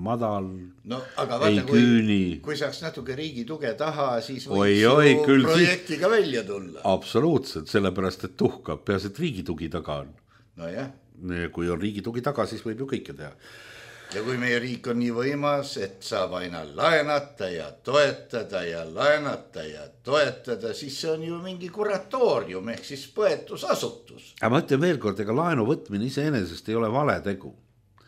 madal, no, aga vaata, ei küüni. Kui, kui saaks natuke riigi tuge taha, siis võiks oi, oi, ju projektiga siis... välja tulla. Absoluutselt, sellepärast, et tuhkab, peas, et riigi tugi taga on. No jah. Kui on riigi tugi taga, siis võib ju kõike teha. Ja kui meie riik on nii võimas, et saab aina laenata ja toetada ja laenata ja toetada, siis see on ju mingi kuratoorium ehk siis põetusasutus. Aga ma ütlen veel kord, ega laenu võtmine iseenesest ei ole vale tegu.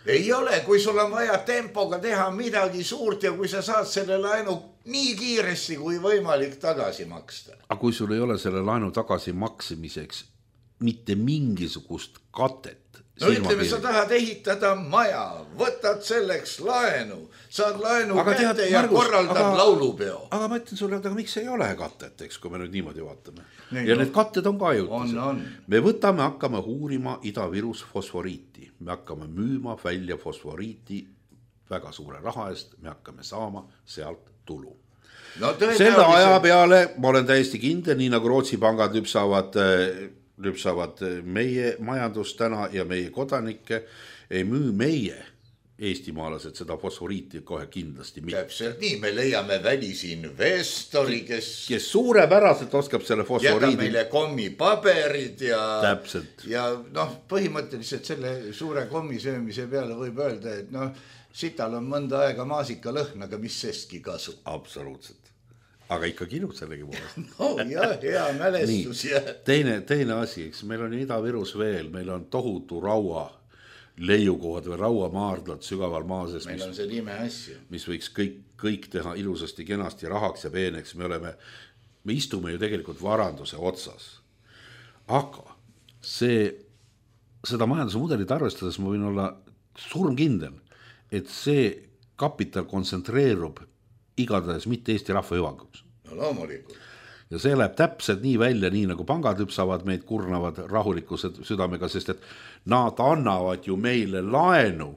Ei ole, kui sul on vaja tempoga teha midagi suurt ja kui sa saad selle laenu nii kiiresti kui võimalik tagasi maksta. Aga kui sul ei ole selle laenu tagasi maksimiseks mitte mingisugust katet, no ütleme, sa tahad ehitada maja, võtad selleks laenu, saad laenu aga kätte tead, ja Margus, korraldad aga, laulupeo. Aga ma ütlen sulle, aga miks ei ole katet, eks, kui me nüüd niimoodi vaatame. Nii, ja no, need katted on ka jutused. Me võtame, hakkame uurima Ida-Virus fosforiiti. Me hakkame müüma välja fosforiiti väga suure raha eest, me hakkame saama sealt tulu. No, selle aja peale ma olen täiesti kindel, nii nagu Rootsi pangad lüpsavad... lüpsavad meie majandust täna ja meie kodanikke, ei müü meie eestimaalased seda fosforiiti kohe kindlasti mitte. Täpselt nii, me leiame välisinvestori, kes... kes suurepäraselt oskab selle fosforiidi... jätab meile kommipaberid ja... Täpselt. Ja noh, põhimõtteliselt selle suure kommisöömise peale võib öelda, et noh, sital on mõnda aega maasika lõhn, aga mis sestki kasu. Absoluutselt. Aga ikka kilud sellegi poolest. No jah, hea mälestus. Teine, teine asi, eks meil on Ida-Virus veel, meil on tohutu raua leiukohad või rauamaardlad sügaval maases. Meil on see nime asju. Mis võiks kõik, kõik teha ilusasti, kenasti, rahaks ja peeneks. Me oleme, me istume ju tegelikult varanduse otsas. Aga see, seda majanduse mudelit arvestades ma võin olla surmkindel, et see kapital kontsentreerub igatahes mitte Eesti rahva hüvanguks. No loomulikult. Ja see läheb täpselt nii välja, nii nagu pangad lüpsavad meid, kurnavad rahuliku südamega, sest et nad annavad ju meile laenu,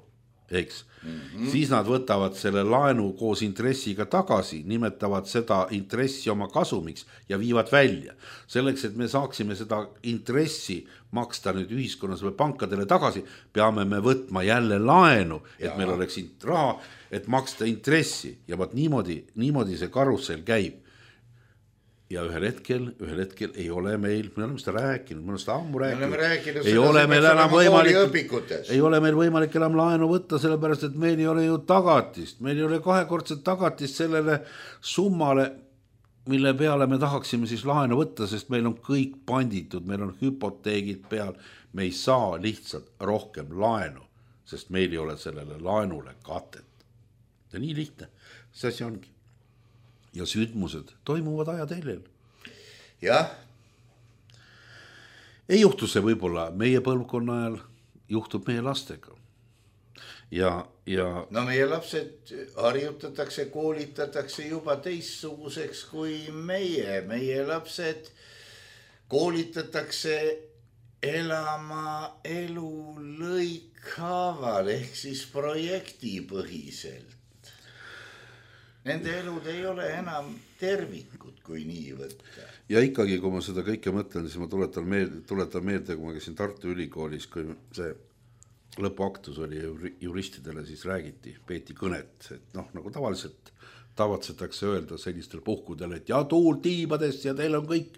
eks? Mm-hmm. Siis nad võtavad selle laenu koos intressiga tagasi, nimetavad seda intressi oma kasumiks ja viivad välja. Selleks, et me saaksime seda intressi maksta nüüd ühiskonnas või pankadele tagasi, peame me võtma jälle laenu, et ja. Meil oleks raha, et maksta intressi ja vaat niimoodi, niimoodi see karussell käib. Ja ühel hetkel, ühel hetkel ei ole meil, me oleme seda rääkinud, me oleme seda ammu rääkinud, rääkinud ei, ole meil enam võimalik, ei ole meil võimalik enam laenu võtta, sellepärast, et meil ei ole ju tagatist, meil ei ole kahekordset tagatist sellele summale, mille peale me tahaksime siis laenu võtta, sest meil on kõik panditud, meil on hüpoteegid peal, me ei saa lihtsalt rohkem laenu, sest meil ei ole sellele laenule katet. Ja nii lihtne, see asi ongi. Ja sündmused toimuvad ajateljel. jah. ei juhtu see võib-olla meie põlvkonna ajal, juhtub meie lastega. Ja, ja... no meie lapsed harjutatakse, koolitatakse juba teistsuguseks kui meie. Meie lapsed koolitatakse elama elu lõikhaaval ehk siis projektipõhiselt. Nende elud ei ole enam tervikud, kui nii võtta. Ja ikkagi, kui ma seda kõike mõtlen, siis ma tuletan meelde, tuletan meelde, kui ma käisin Tartu Ülikoolis, kui see lõpuaktus oli juristidele, siis räägiti, peeti kõnet, et noh, nagu tavaliselt tavatsetakse öelda sellistel puhkudel, et ja tuul tiibadest ja teil on kõik,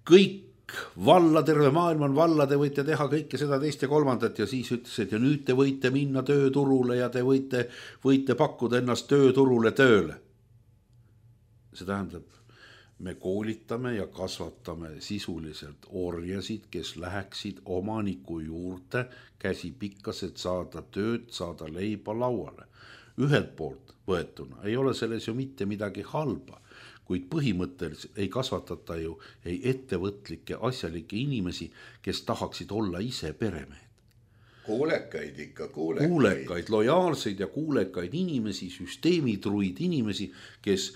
kõik valla, terve maailm on valla, te võite teha kõike seda teist ja kolmandat ja siis ütles, et ja nüüd te võite minna tööturule ja te võite, võite pakkuda ennast tööturule tööle. See tähendab, me koolitame ja kasvatame sisuliselt orjasid, kes läheksid omaniku juurde käsi pikkas, et saada tööd, saada leiba lauale. Ühelt poolt võetuna ei ole selles ju mitte midagi halba, kuid põhimõtteliselt ei kasvatata ju ei ettevõtlikke asjalikke inimesi, kes tahaksid olla ise peremehed. Kuulekaid ikka, kuulekaid. Kuulekaid, lojaalseid ja kuulekaid inimesi, süsteemitruid inimesi, kes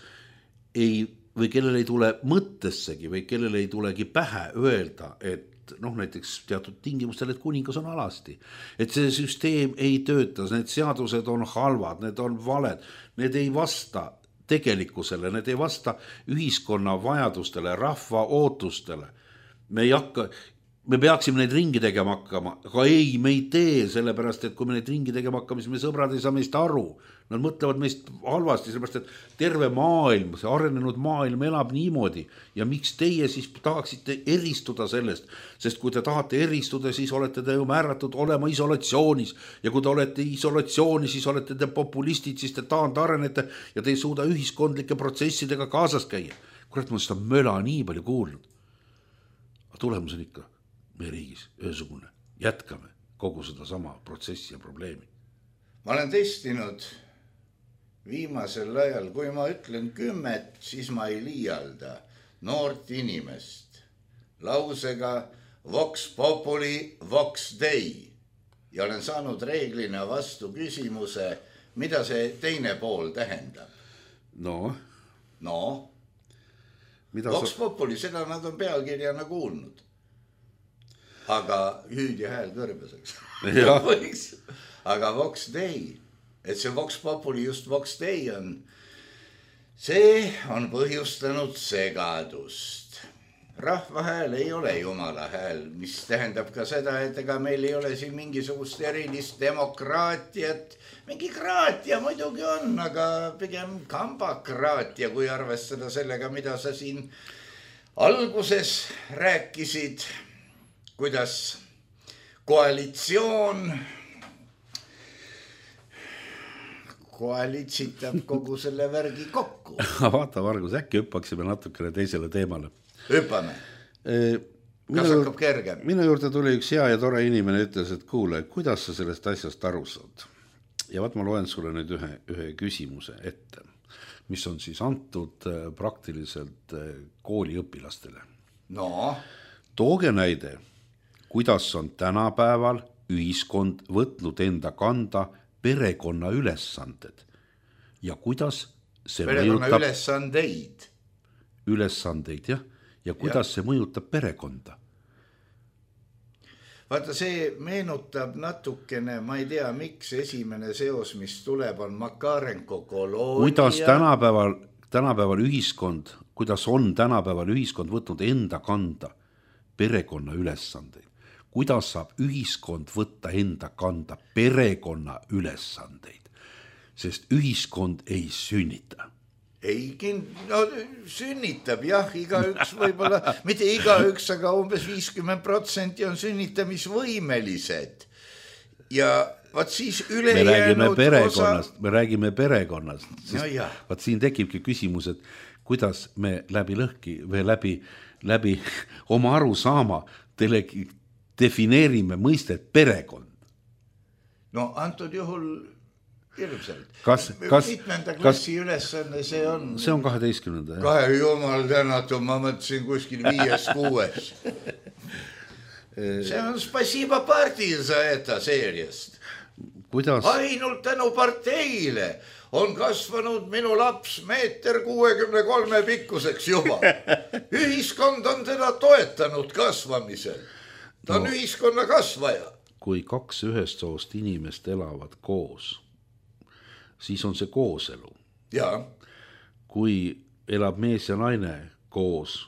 ei, või kellel ei tule mõttessegi või kellel ei tulegi pähe öelda, et noh, näiteks teatud tingimustel, et kuningas on alasti. Et see süsteem ei tööta, need seadused on halvad, need on valed, need ei vasta tegelikkusele, need ei vasta ühiskonna vajadustele, rahva ootustele. Me ei hakka, me peaksime neid ringi tegema hakkama, aga ei, me ei tee, sellepärast, et kui me neid ringi tegema hakkame, siis me sõbrad ei saa meist aru. Nad mõtlevad meist halvasti, sellepärast, et terve maailm, see arenenud maailm elab niimoodi. Ja miks teie siis tahaksite eristuda sellest? Sest kui te tahate eristuda, siis olete te ju määratud olema isolatsioonis. Ja kui te olete isolatsioonis, siis olete te populistid, siis te taand arenete ja te ei suuda ühiskondlike protsessidega kaasas käia. Kurat, ma seda möla nii palju kuulnud. Aga tulemus on ikka meie riigis ühesugune. Jätkame kogu seda sama protsessi ja probleemi. Ma olen testinud viimasel ajal, kui ma ütlen kümmet, siis ma ei liialda noort inimest lausega vox populi, vox dei ja olen saanud reeglina vastu küsimuse, mida see teine pool tähendab. No, no. Mida vox sa... populi, seda nad on pealkirjana kuulnud. Aga hüüd ja hääl kõrbeseks. Aga vox dei, et see vox populi just vox dei on, see on põhjustanud segadust. Rahva hääl ei ole jumala hääl, mis tähendab ka seda, et ega meil ei ole siin mingisugust erilist demokraatiat. Mingi kraatia muidugi on, aga pigem kambakraatia, kui arvestada sellega, mida sa siin alguses rääkisid, kuidas koalitsioon koalitsitab kogu selle värgi kokku. Vaata, Margus, äkki hüppaksime natukene teisele teemale. Hüppame. E, Kas minu, hakkab kergem? Minu juurde tuli üks hea ja tore inimene, ütles, et kuule, kuidas sa sellest asjast aru saad? Ja vaat ma loen sulle nüüd ühe, ühe küsimuse ette, mis on siis antud praktiliselt kooliõpilastele. No. Tooge näide, kuidas on tänapäeval ühiskond võtnud enda kanda perekonna ülesanded ja kuidas see perekonna mõjutab ülesandeid. Ülesandeid, jah. Ja kuidas ja. see mõjutab perekonda? Vaata, see meenutab natukene, ma ei tea, miks esimene seos, mis tuleb, on Makarenko koloonia. Kuidas tänapäeval, tänapäeval ühiskond, kuidas on tänapäeval ühiskond võtnud enda kanda perekonna ülesandeid? Kuidas saab ühiskond võtta enda kanda perekonna ülesandeid? Sest ühiskond ei sünnita. Ei, no sünnitab, jah, igaüks võib-olla, mitte igaüks, aga umbes viiskümmend protsenti on sünnitamisvõimelised. Ja vaat siis üle me räägime jäänud perekonnast, osa... me räägime perekonnast. No vaat siin tekibki küsimus, et kuidas me läbi lõhki või läbi, läbi oma aru saama telegi defineerime mõistet perekond. No antud juhul Hirmsalt. Kas, kas, mitmenda klassi kas, ülesanne see on? See on kaheteistkümnenda. Kahe jumal tänatud, ma mõtlesin kuskil viies, kuues. See on spasiba partil sa etta seeriast. Kuidas? Ainult tänu parteile on kasvanud minu laps meeter kuuekümne kolme pikkuseks juba. Ühiskond on teda toetanud kasvamisel. Ta on no, ühiskonna kasvaja. Kui kaks ühest soost inimest elavad koos, siis on see kooselu. Ja. Kui elab mees ja naine koos,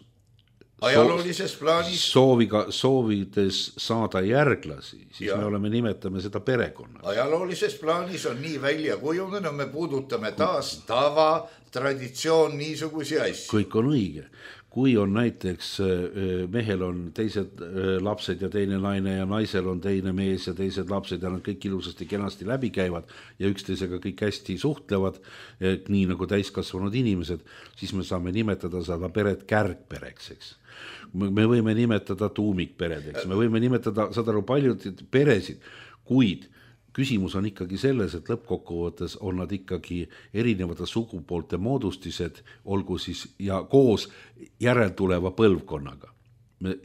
ajaloolises plaanis sooviga, soovides saada järglasi, siis ja. me oleme nimetame seda perekonnaks. Ajaloolises plaanis on nii välja kujunenud, me puudutame taas tava, traditsioon, niisugusi asju. Kõik on õige. Kui on näiteks mehel on teised lapsed ja teine naine ja naisel on teine mees ja teised lapsed ja nad kõik ilusasti kenasti läbi käivad ja üksteisega kõik hästi suhtlevad, nii nagu täiskasvanud inimesed, siis me saame nimetada seda peret kärgpereks, eks. Me võime nimetada tuumikperedeks, me võime nimetada, saad aru, paljud peresid, kuid küsimus on ikkagi selles, et lõppkokkuvõttes on nad ikkagi erinevate sugupoolte moodustised, olgu siis ja koos järeltuleva põlvkonnaga. Me,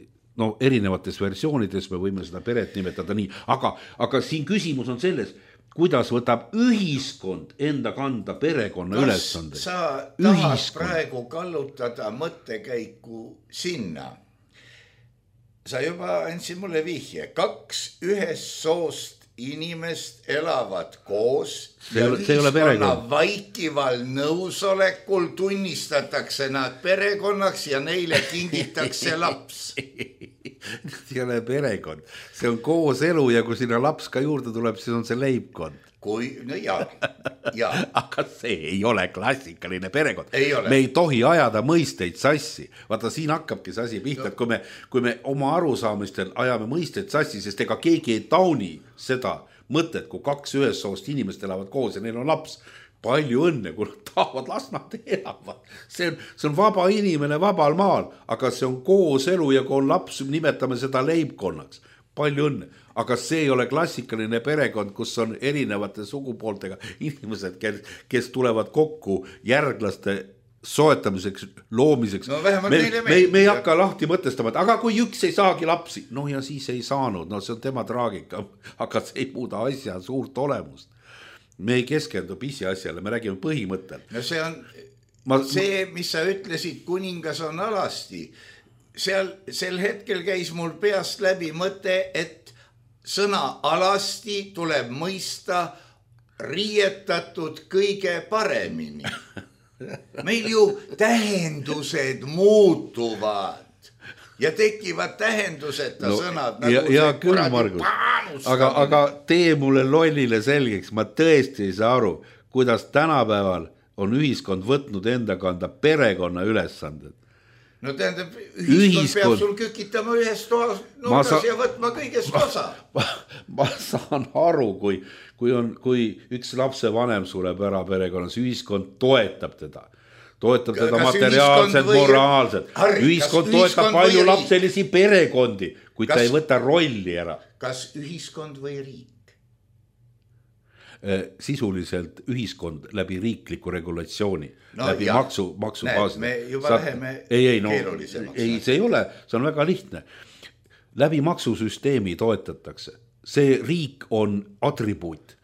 no erinevates versioonides me võime seda peret nimetada nii, aga, aga siin küsimus on selles, kuidas võtab ühiskond enda kanda perekonna ülesande. Kas sa tahad ühiskond. Praegu kallutada mõttekäiku sinna? Sa juba andsid mulle vihje, kaks ühest soost inimest elavad koos see ja ühiskonna vaikival nõusolekul tunnistatakse nad perekonnaks ja neile kingitakse laps. See ei ole perekond, see on koos elu ja kui sinna laps ka juurde tuleb, siis on see leibkond. Kui, no jaa, jaa. Aga see ei ole klassikaline perekond. Ei ole. Me ei tohi ajada mõisteid sassi. Vaata, siin hakkabki see asi pihta, no. kui, me, kui me oma arusaamistel ajame mõisteid sassi, sest ega keegi ei tauni seda mõtet, kui kaks ühest soost inimest elavad koos ja neil on laps. Palju õnne, kui nad tahavad, las nad elavad. See on, see on vaba inimene vabal maal, aga see on koos elu ja kui on laps, nimetame seda leibkonnaks. Palju õnne. Aga see ei ole klassikaline perekond, kus on erinevate sugupooltega inimesed, kes, kes tulevad kokku järglaste soetamiseks, loomiseks. No, me, me, me, me ei hakka lahti mõtestama, et aga kui üks ei saagi lapsi, no ja siis ei saanud, no see on tema traagika, aga see ei muuda asja suurt olemust. Me ei keskendu pisiasjale, me räägime põhimõttel. No see on ma, see, mis sa ütlesid, kuningas on alasti. Seal, sel hetkel käis mul peast läbi mõte, et sõna alasti tuleb mõista riietatud kõige paremini. Meil ju tähendused muutuvad ja tekivad tähenduseta no, sõnad. Nagu ja, ja küll, Margus, aga, aga tee mulle lollile selgeks, ma tõesti ei saa aru, kuidas tänapäeval on ühiskond võtnud enda kanda perekonna ülesanded. No tähendab, ühiskond, ühiskond peab sul kükitama ühest toas nurgas sa... ja võtma kõigest osa. Ma, ma, ma saan aru, kui, kui, on, kui üks lapse vanem sureb ära perekonnas, ühiskond toetab teda. Toetab kas teda materiaalselt, või... moraalselt. Harri, ühiskond toetab palju lapselisi perekondi, kui kas... ta ei võta rolli ära. Kas ühiskond või riik? Sisuliselt ühiskond läbi riikliku regulatsiooni, no, läbi jah. maksu, maksubaasida. Me juba Saat... läheme ei, ei, no, keerulisemaks. Ei, see ei ole, see on väga lihtne. Läbi maksusüsteemi toetatakse. See riik on atribuut,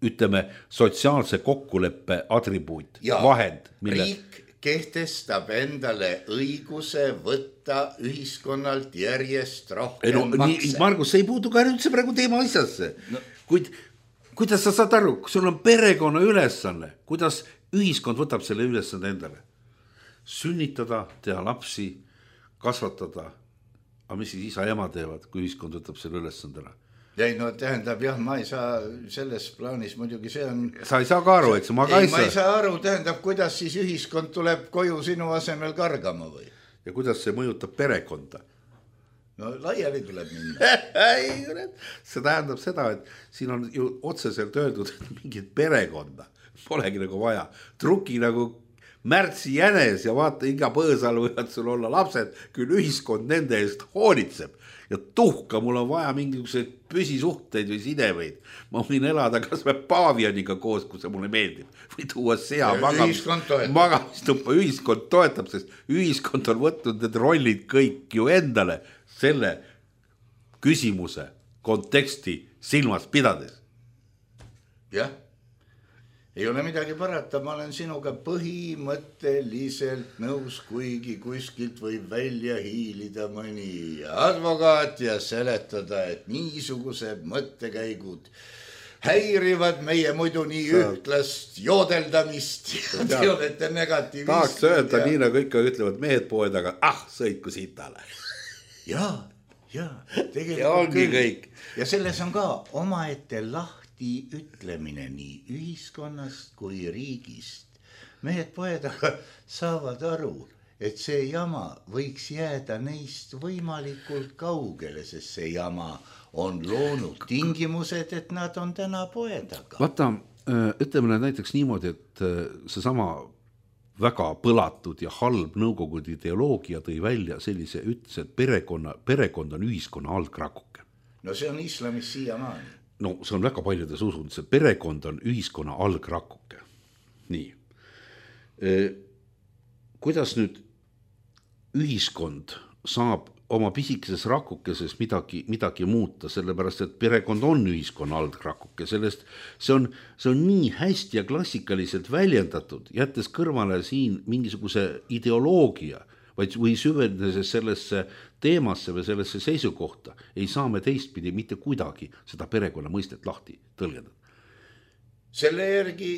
ütleme sotsiaalse kokkuleppe atribuut, ja, vahend. Mille... Riik kehtestab endale õiguse võtta ühiskonnalt järjest rohkem ei, no, makse. Nii, Margus, see ei puudu ka üldse praegu teema asjasse. No. Kuid kuidas sa saad aru, kui sul on perekonna ülesanne, kuidas ühiskond võtab selle ülesande endale? Sünnitada, teha lapsi, kasvatada. Aga mis siis isa ja ema teevad, kui ühiskond võtab selle ülesandele? Ei, no tähendab, jah, ma ei saa selles plaanis muidugi see on... Sa ei saa ka aru, eks ma ka ei, ei ma ei saa aru, tähendab, kuidas siis ühiskond tuleb koju sinu asemel kargama või? Ja kuidas see mõjutab perekonda? No laiali tuleb minna. See tähendab seda, et siin on ju otseselt öeldud, et mingit perekonda polegi nagu vaja. Truki nagu märtsi jänes ja vaata, iga põõsal võivad sul olla lapsed, küll ühiskond nende eest hoolitseb. ja tuhka, mul on vaja mingisuguseid püsisuhteid või sidemeid. Ma võin elada kas või paavianiga koos, kui see mulle meeldib. Või tuua sea magamistuppa, ühiskond toetab, sest ühiskond on võtnud need rollid kõik ju endale selle küsimuse konteksti silmas pidades. Jah, ei ole midagi parata, ma olen sinuga põhimõtteliselt nõus, kuigi kuskilt võib välja hiilida mõni advokaat ja seletada, et niisugused mõttekäigud häirivad meie muidu nii ühtlast joodeldamist ja te olete negatiivist. Tahaks öelda ja... nii nagu ikka ütlevad mehed poed, aga ah, sõitku sitale. Jaa, jaa, tegelikult ja ongi küll. Kõik. Ja selles on ka omaette lahti ütlemine nii ühiskonnast kui riigist. Mehed poed saavad aru, et see jama võiks jääda neist võimalikult kaugele, sest see jama on loonud tingimused, et nad on täna poedaga. Vaata, ütleme näiteks niimoodi, et see sama väga põlatud ja halb nõukogude ideoloogia tõi välja sellise ütles, et perekonna, perekond on ühiskonna algrakuke. No see on islamis siiamaani. No see on väga paljudes usudes, et perekond on ühiskonna algrakuke. Nii. Kuidas nüüd ühiskond saab oma pisikeses rakukeses midagi, midagi muuta, sellepärast, et perekond on ühiskonna algrakuke, sellest see on, see on nii hästi ja klassikaliselt väljendatud, jättes kõrvale siin mingisuguse ideoloogia, vaid või süvenedes sellesse teemasse või sellesse seisukohta, ei saa me teistpidi mitte kuidagi seda perekonna mõistet lahti tõlgendada. Selle järgi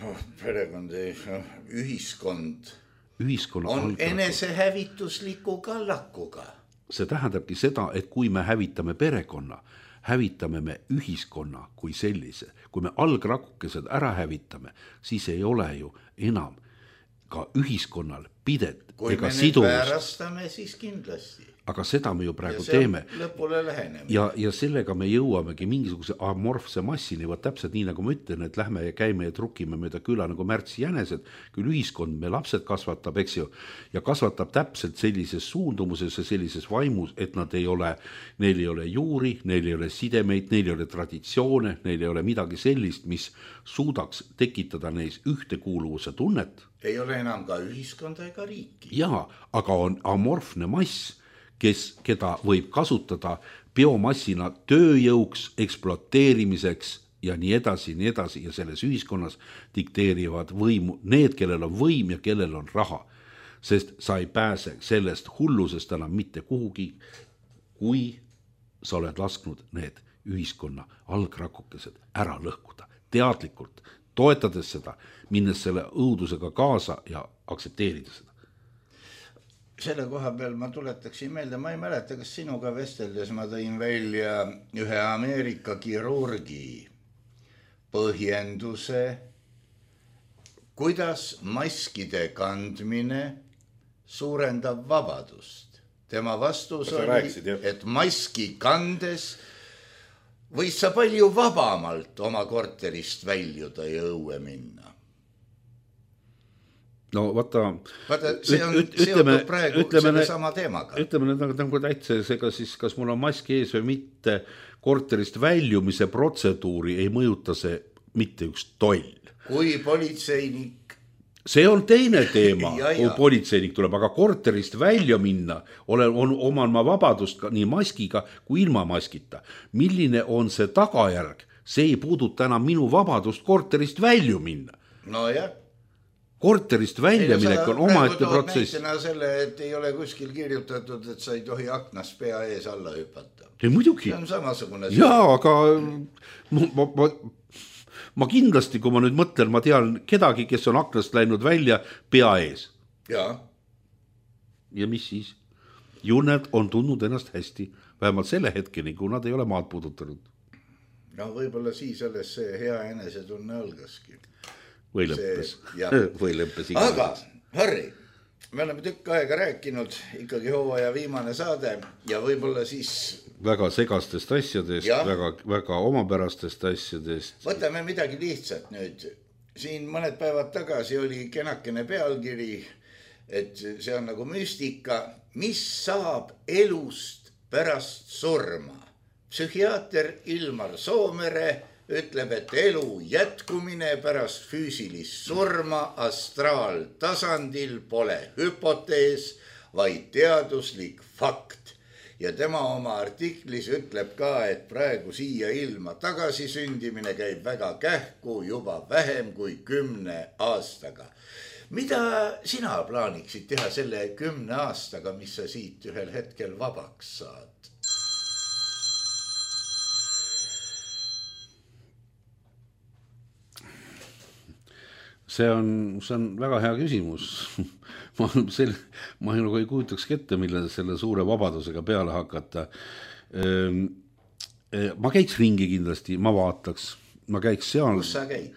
oh, perekond, oh, ühiskond, ühiskonna on algrakuke. Enesehävitusliku kallakuga. See tähendabki seda, et kui me hävitame perekonna, hävitame me ühiskonna kui sellise. Kui me algrakukesed ära hävitame, siis ei ole ju enam ka ühiskonnal pidet kui ega me siduvust. Nüüd väärastame, siis kindlasti. Aga seda me ju praegu teeme. Lõpule lähenemine. Ja, ja sellega me jõuamegi mingisuguse amorfse massini, võt täpselt nii nagu ma ütlen, et lähme ja käime ja trukime mööda küla nagu märtsi jänesed, küll ühiskond me lapsed kasvatab, eks ju, ja kasvatab täpselt sellises suundumuses ja sellises vaimus, et nad ei ole, neil ei ole juuri, neil ei ole sidemeid, neil ei ole traditsioone, neil ei ole midagi sellist, mis suudaks tekitada neis ühtekuuluvuse tunnet. Ei ole enam ka ühiskonda ega riiki. Jaa, aga on amorfne mass, kes, keda võib kasutada biomassina tööjõuks, ekspluateerimiseks ja nii edasi, nii edasi. Ja selles ühiskonnas dikteerivad võimu need, kellel on võim ja kellel on raha. Sest sa ei pääse sellest hullusest enam mitte kuhugi, kui sa oled lasknud need ühiskonna algrakukesed ära lõhkuda. Teadlikult, toetades seda, minnes selle õudusega kaasa ja aksepteerida seda. Selle koha peal ma tuletaksin meelde, ma ei mäleta, kas sinuga vesteldes ma tõin välja ühe Ameerika kirurgi põhjenduse, kuidas maskide kandmine suurendab vabadust. Tema vastus oli, rääkisid, et maski kandes võis sa palju vabamalt oma korterist väljuda ja õue minna. No vaata, vaata see on üt, ütleme, seotud praegu ütleme, selle sama teemaga. Ütleme nüüd nagu täitsa, ega siis kas mul on maski ees või mitte, korterist väljumise protseduuri ei mõjuta see mitte üks toll. Kui politseinik... See on teine teema, ja, kui ja. politseinik tuleb, aga korterist välja minna, olen, on, oman ma vabadust ka, nii maskiga kui ilma maskita. Milline on see tagajärg? See ei puuduta enam minu vabadust korterist välju minna. No jah. Korterist väljaminek on omaette protsess. Näitena selle, et ei ole kuskil kirjutatud, et sa ei tohi aknast pea ees alla hüpata. Ei, muidugi. See on samasugune. Jaa, aga ma, ma, ma, ma kindlasti, kui ma nüüd mõtlen, ma tean kedagi, kes on aknast läinud välja pea ees. Jaa. Ja mis siis? Ju nad on tundnud ennast hästi, vähemalt selle hetkeni, kui nad ei ole maad puudutanud. No võib-olla siis alles see hea enesetunne algaski. Või lõppes. Või lõppes iga. Aga, Harri, me oleme tükk aega rääkinud, ikkagi hooaja viimane saade ja võib-olla siis... Väga segastest asjadest, väga, väga omapärastest asjadest. Võtame midagi lihtsat nüüd. Siin mõned päevad tagasi oli kenakene pealkiri, et see on nagu müstika, mis saab elust pärast surma. Psühhiaater Ilmar Soomere ütleb, et elu jätkumine pärast füüsilist surma astraaltasandil pole hüpotees, vaid teaduslik fakt. Ja tema oma artiklis ütleb ka, et praegu siia ilma tagasisündimine käib väga kähku juba vähem kui kümne aastaga. Mida sina plaaniksid teha selle kümne aastaga, mis sa siit ühel hetkel vabaks saad? See on, see on väga hea küsimus. ma, sel, ma nagu ei kujutaks ette, mille selle suure vabadusega peale hakata. Ma käiks ringi kindlasti, ma vaataks. Ma käiks seal, kus sa käid?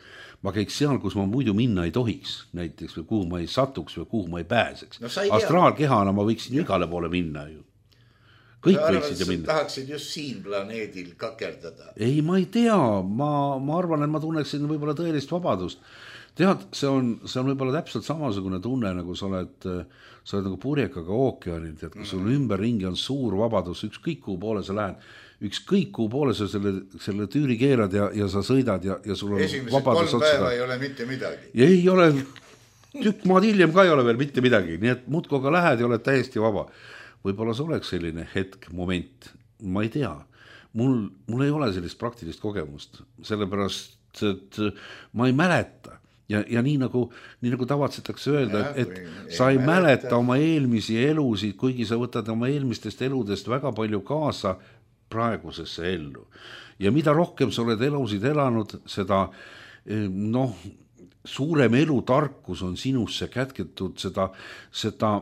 Ma käiks seal, kus ma muidu minna ei tohiks, näiteks, või kuhu ma ei satuks või kuhu ma ei pääseks. No, ei astraalkehana ma võiksin ju igale poole minna ju. Kõik sa võiksid ju minna. Tahaksid just siin planeedil kakerdada? Ei, ma ei tea. Ma, ma arvan, et ma tunneksin võib-olla tõelist vabadust. Tead, see on, see on võib-olla täpselt samasugune tunne, nagu sa oled, sa oled nagu purjekaga ookeanil, et kui sul ümber ringi on suur vabadus, ükskõik kuhu poole sa lähed, ükskõik kuhu poole sa selle, selle tüüri keerad ja, ja sa sõidad ja, ja sul on esimesed vabadus kolm päeva ei ole mitte midagi. Ja ei ole, tükk maad hiljem ka ei ole veel mitte midagi, nii et muudkoga lähed ja oled täiesti vaba. Võib-olla see oleks selline hetk, moment, ma ei tea. Mul, mul ei ole sellist praktilist kogemust, sellepärast, et ma ei mäleta. Ja, ja nii nagu, nii nagu tavatsetakse öelda, ja, et, et sa ei mäleta. mäleta oma eelmisi elusid, kuigi sa võtad oma eelmistest eludest väga palju kaasa praegusesse ellu. Ja mida rohkem sa oled elusid elanud, seda noh, suurem elutarkus on sinusse kätketud, seda, seda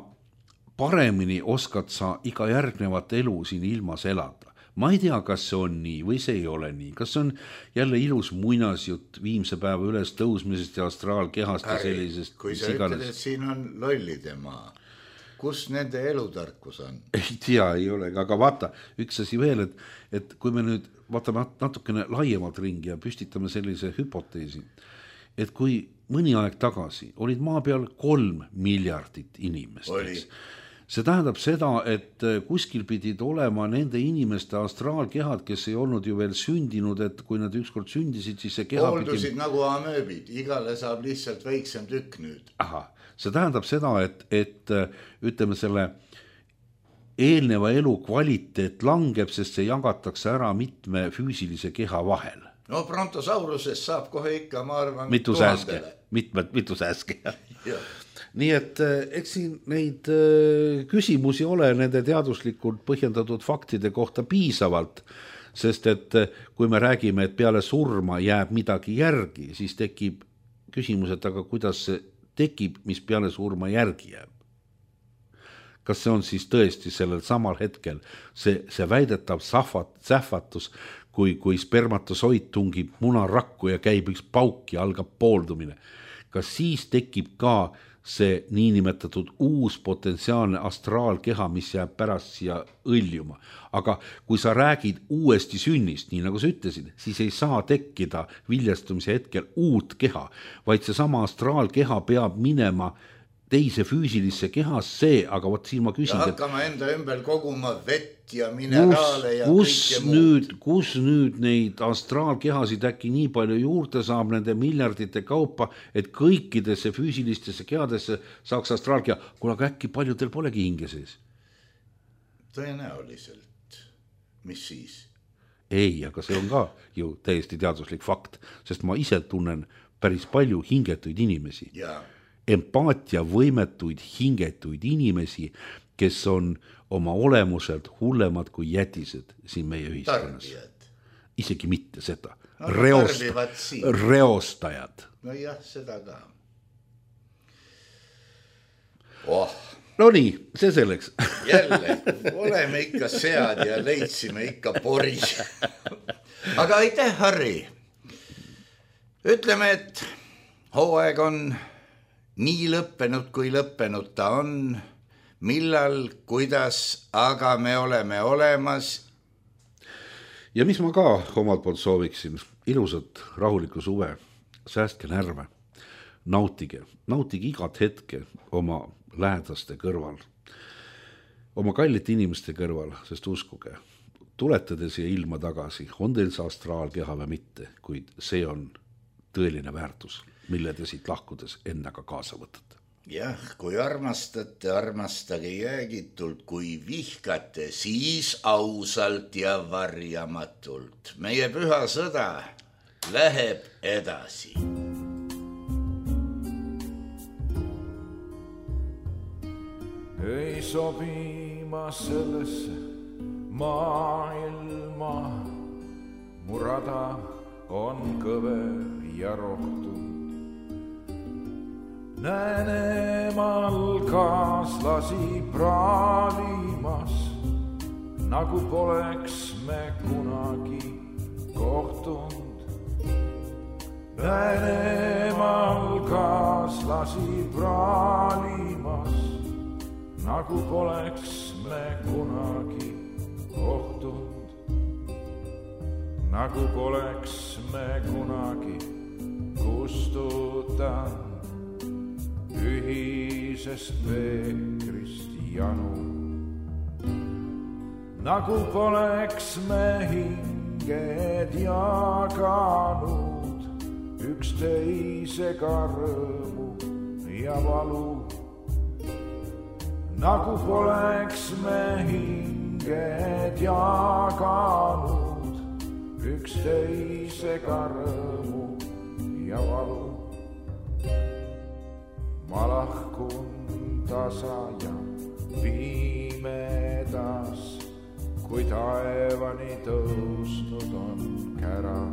paremini oskad sa iga järgnevat elu siin ilmas elada. Ma ei tea, kas see on nii või see ei ole nii. Kas see on jälle ilus muinasjutt viimse päeva üles tõusmisest ja astraalkehast ja sellisest. Kui sa ütled, et siin on lollide maa, kus nende elutarkus on? Ei tea, ei ole, aga vaata, üks asi veel, et, et kui me nüüd vaatame natukene laiemalt ringi ja püstitame sellise hüpoteesi, et kui mõni aeg tagasi olid maa peal kolm miljardit inimest, oli. See tähendab seda, et kuskil pidid olema nende inimeste astraalkehad, kes ei olnud ju veel sündinud, et kui nad ükskord sündisid, siis see keha hooldusid pidi... nagu amööbid, igale saab lihtsalt väiksem tükk nüüd. Aha, see tähendab seda, et, et ütleme selle eelneva elu kvaliteet langeb, sest see jagatakse ära mitme füüsilise keha vahel. No Brontosaurusest saab kohe ikka, ma arvan, mitu sääske, mitmed, mitu sääske. Nii et eks siin neid küsimusi ole nende teaduslikult põhjendatud faktide kohta piisavalt, sest et kui me räägime, et peale surma jääb midagi järgi, siis tekib küsimus, et aga kuidas see tekib, mis peale surma järgi jääb. Kas see on siis tõesti sellel samal hetkel see, see väidetav sahvat, sähvatus, kui, kui spermatosoid tungib munarakku ja käib üks pauk ja algab pooldumine. Kas siis tekib ka see niinimetatud uus potentsiaalne astraalkeha, mis jääb pärast siia õljuma. Aga kui sa räägid uuesti sünnist, nii nagu sa ütlesid, siis ei saa tekkida viljastumise hetkel uut keha, vaid see sama astraalkeha peab minema teise füüsilisse kehas see, aga võt siin ma küsin, ja hakkama et, enda ümber koguma vett ja mineraale ja kus kõike nüüd, muud. Kus nüüd neid astraalkehasid äkki nii palju juurde saab nende miljardite kaupa, et kõikidesse füüsilistesse kehadesse saaks astraalkeha, kuna äkki paljudel polegi hinge sees? Tõenäoliselt. Mis siis? Ei, aga see on ka ju täiesti teaduslik fakt, sest ma ise tunnen päris palju hingetuid inimesi. Jaa. Empaatia võimetuid, hingetuid inimesi, kes on oma olemuselt hullemad kui jätised siin meie ühiskonnas. Tarbijad. Isegi mitte seda. No, Reost, reostajad. No jah, seda ka. Oh. No nii, see selleks. Jälle, oleme ikka sead ja leidsime ikka poris. Aga aitäh, Harri. Ütleme, et hooaeg on nii lõppenud, kui lõppenud ta on, millal, kuidas, aga me oleme olemas. Ja mis ma ka omalt poolt sooviksin, ilusat rahulikku suve, säästke närve, nautige, nautige igat hetke oma lähedaste kõrval. oma kallite inimeste kõrval, sest uskuge, tulete te siia ilma tagasi, on teil see astraalkeha või mitte, kuid see on tõeline väärtus, mille te siit lahkudes endaga kaasa võtate. Jah, kui armastate, armastage jäägitult, kui vihkate, siis ausalt ja varjamatult. Meie püha sõda läheb edasi. Ei sobi ma sellesse maailma, mu rada on kõver ja rohtund. Näen emal kaaslasi praalimas, nagu poleks me kunagi kohtunud. Näen emal kaaslasi praalimas, nagu poleks me kunagi kohtunud, nagu poleks me kunagi kustutanud ühisest veekrist janu, nagu poleks me hinged jaganud üksteisega rõõmu ja valu. Nagu poleks me hinged jaganud üksteisega rõõmu ja valu. Ma lahkun tasa ja pimedas, kui taevani tõusnud on kära.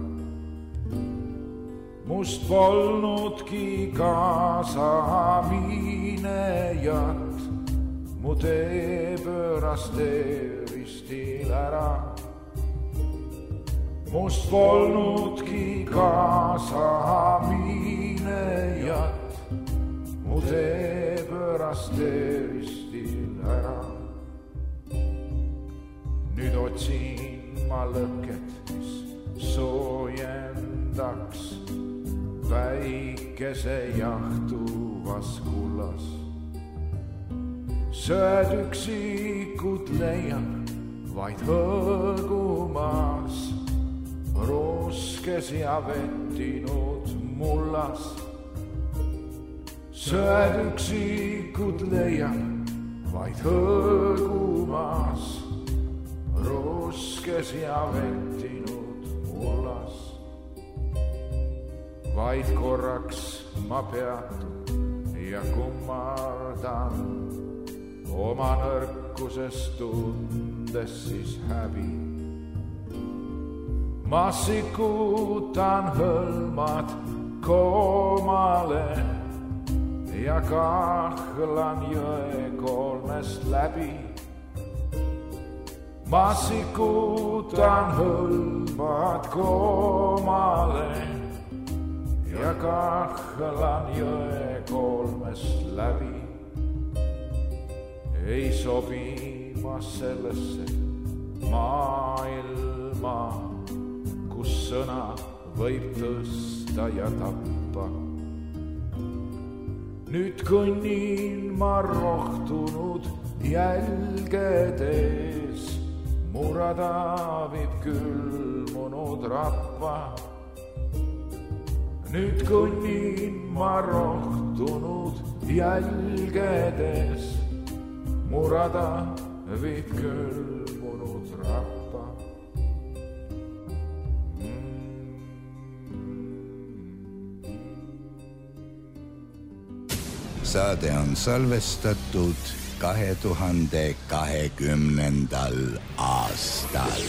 Must polnudki kaasa minejat, mu tee pööras tee ristil ära. Must polnudki kaasa minejat, mu tee pööras tee ristil ära. Nüüd otsin ma lõket, mis soojendaks päikese jahtuvas kullas. Sööd üksikud leian vaid hõõgumas, ruskes ja vettinud mullas. Sööd üksikud leian vaid hõõgumas, ruskes ja vettinud mullas. Vaid korraks ma peatun ja kummardan, oma nõrkusest tundes siis häbi. Ma sikutan hõlmad koomale ja kahlan jõe kolmest läbi. Ma sikutan hõlmad koomale ja kahlan jõe kolmest läbi. Ei sobi ma sellesse maailma, kus sõna võib tõsta ja tappa. Nüüd kõnnin ma rohtunud jälgedes, mu rada viib külmunud rappa. Nüüd kõnnin ma rohtunud jälgedes, mu rada viib külmunud rappa. Saade on salvestatud kahe tuhande kahekümnendal aastal.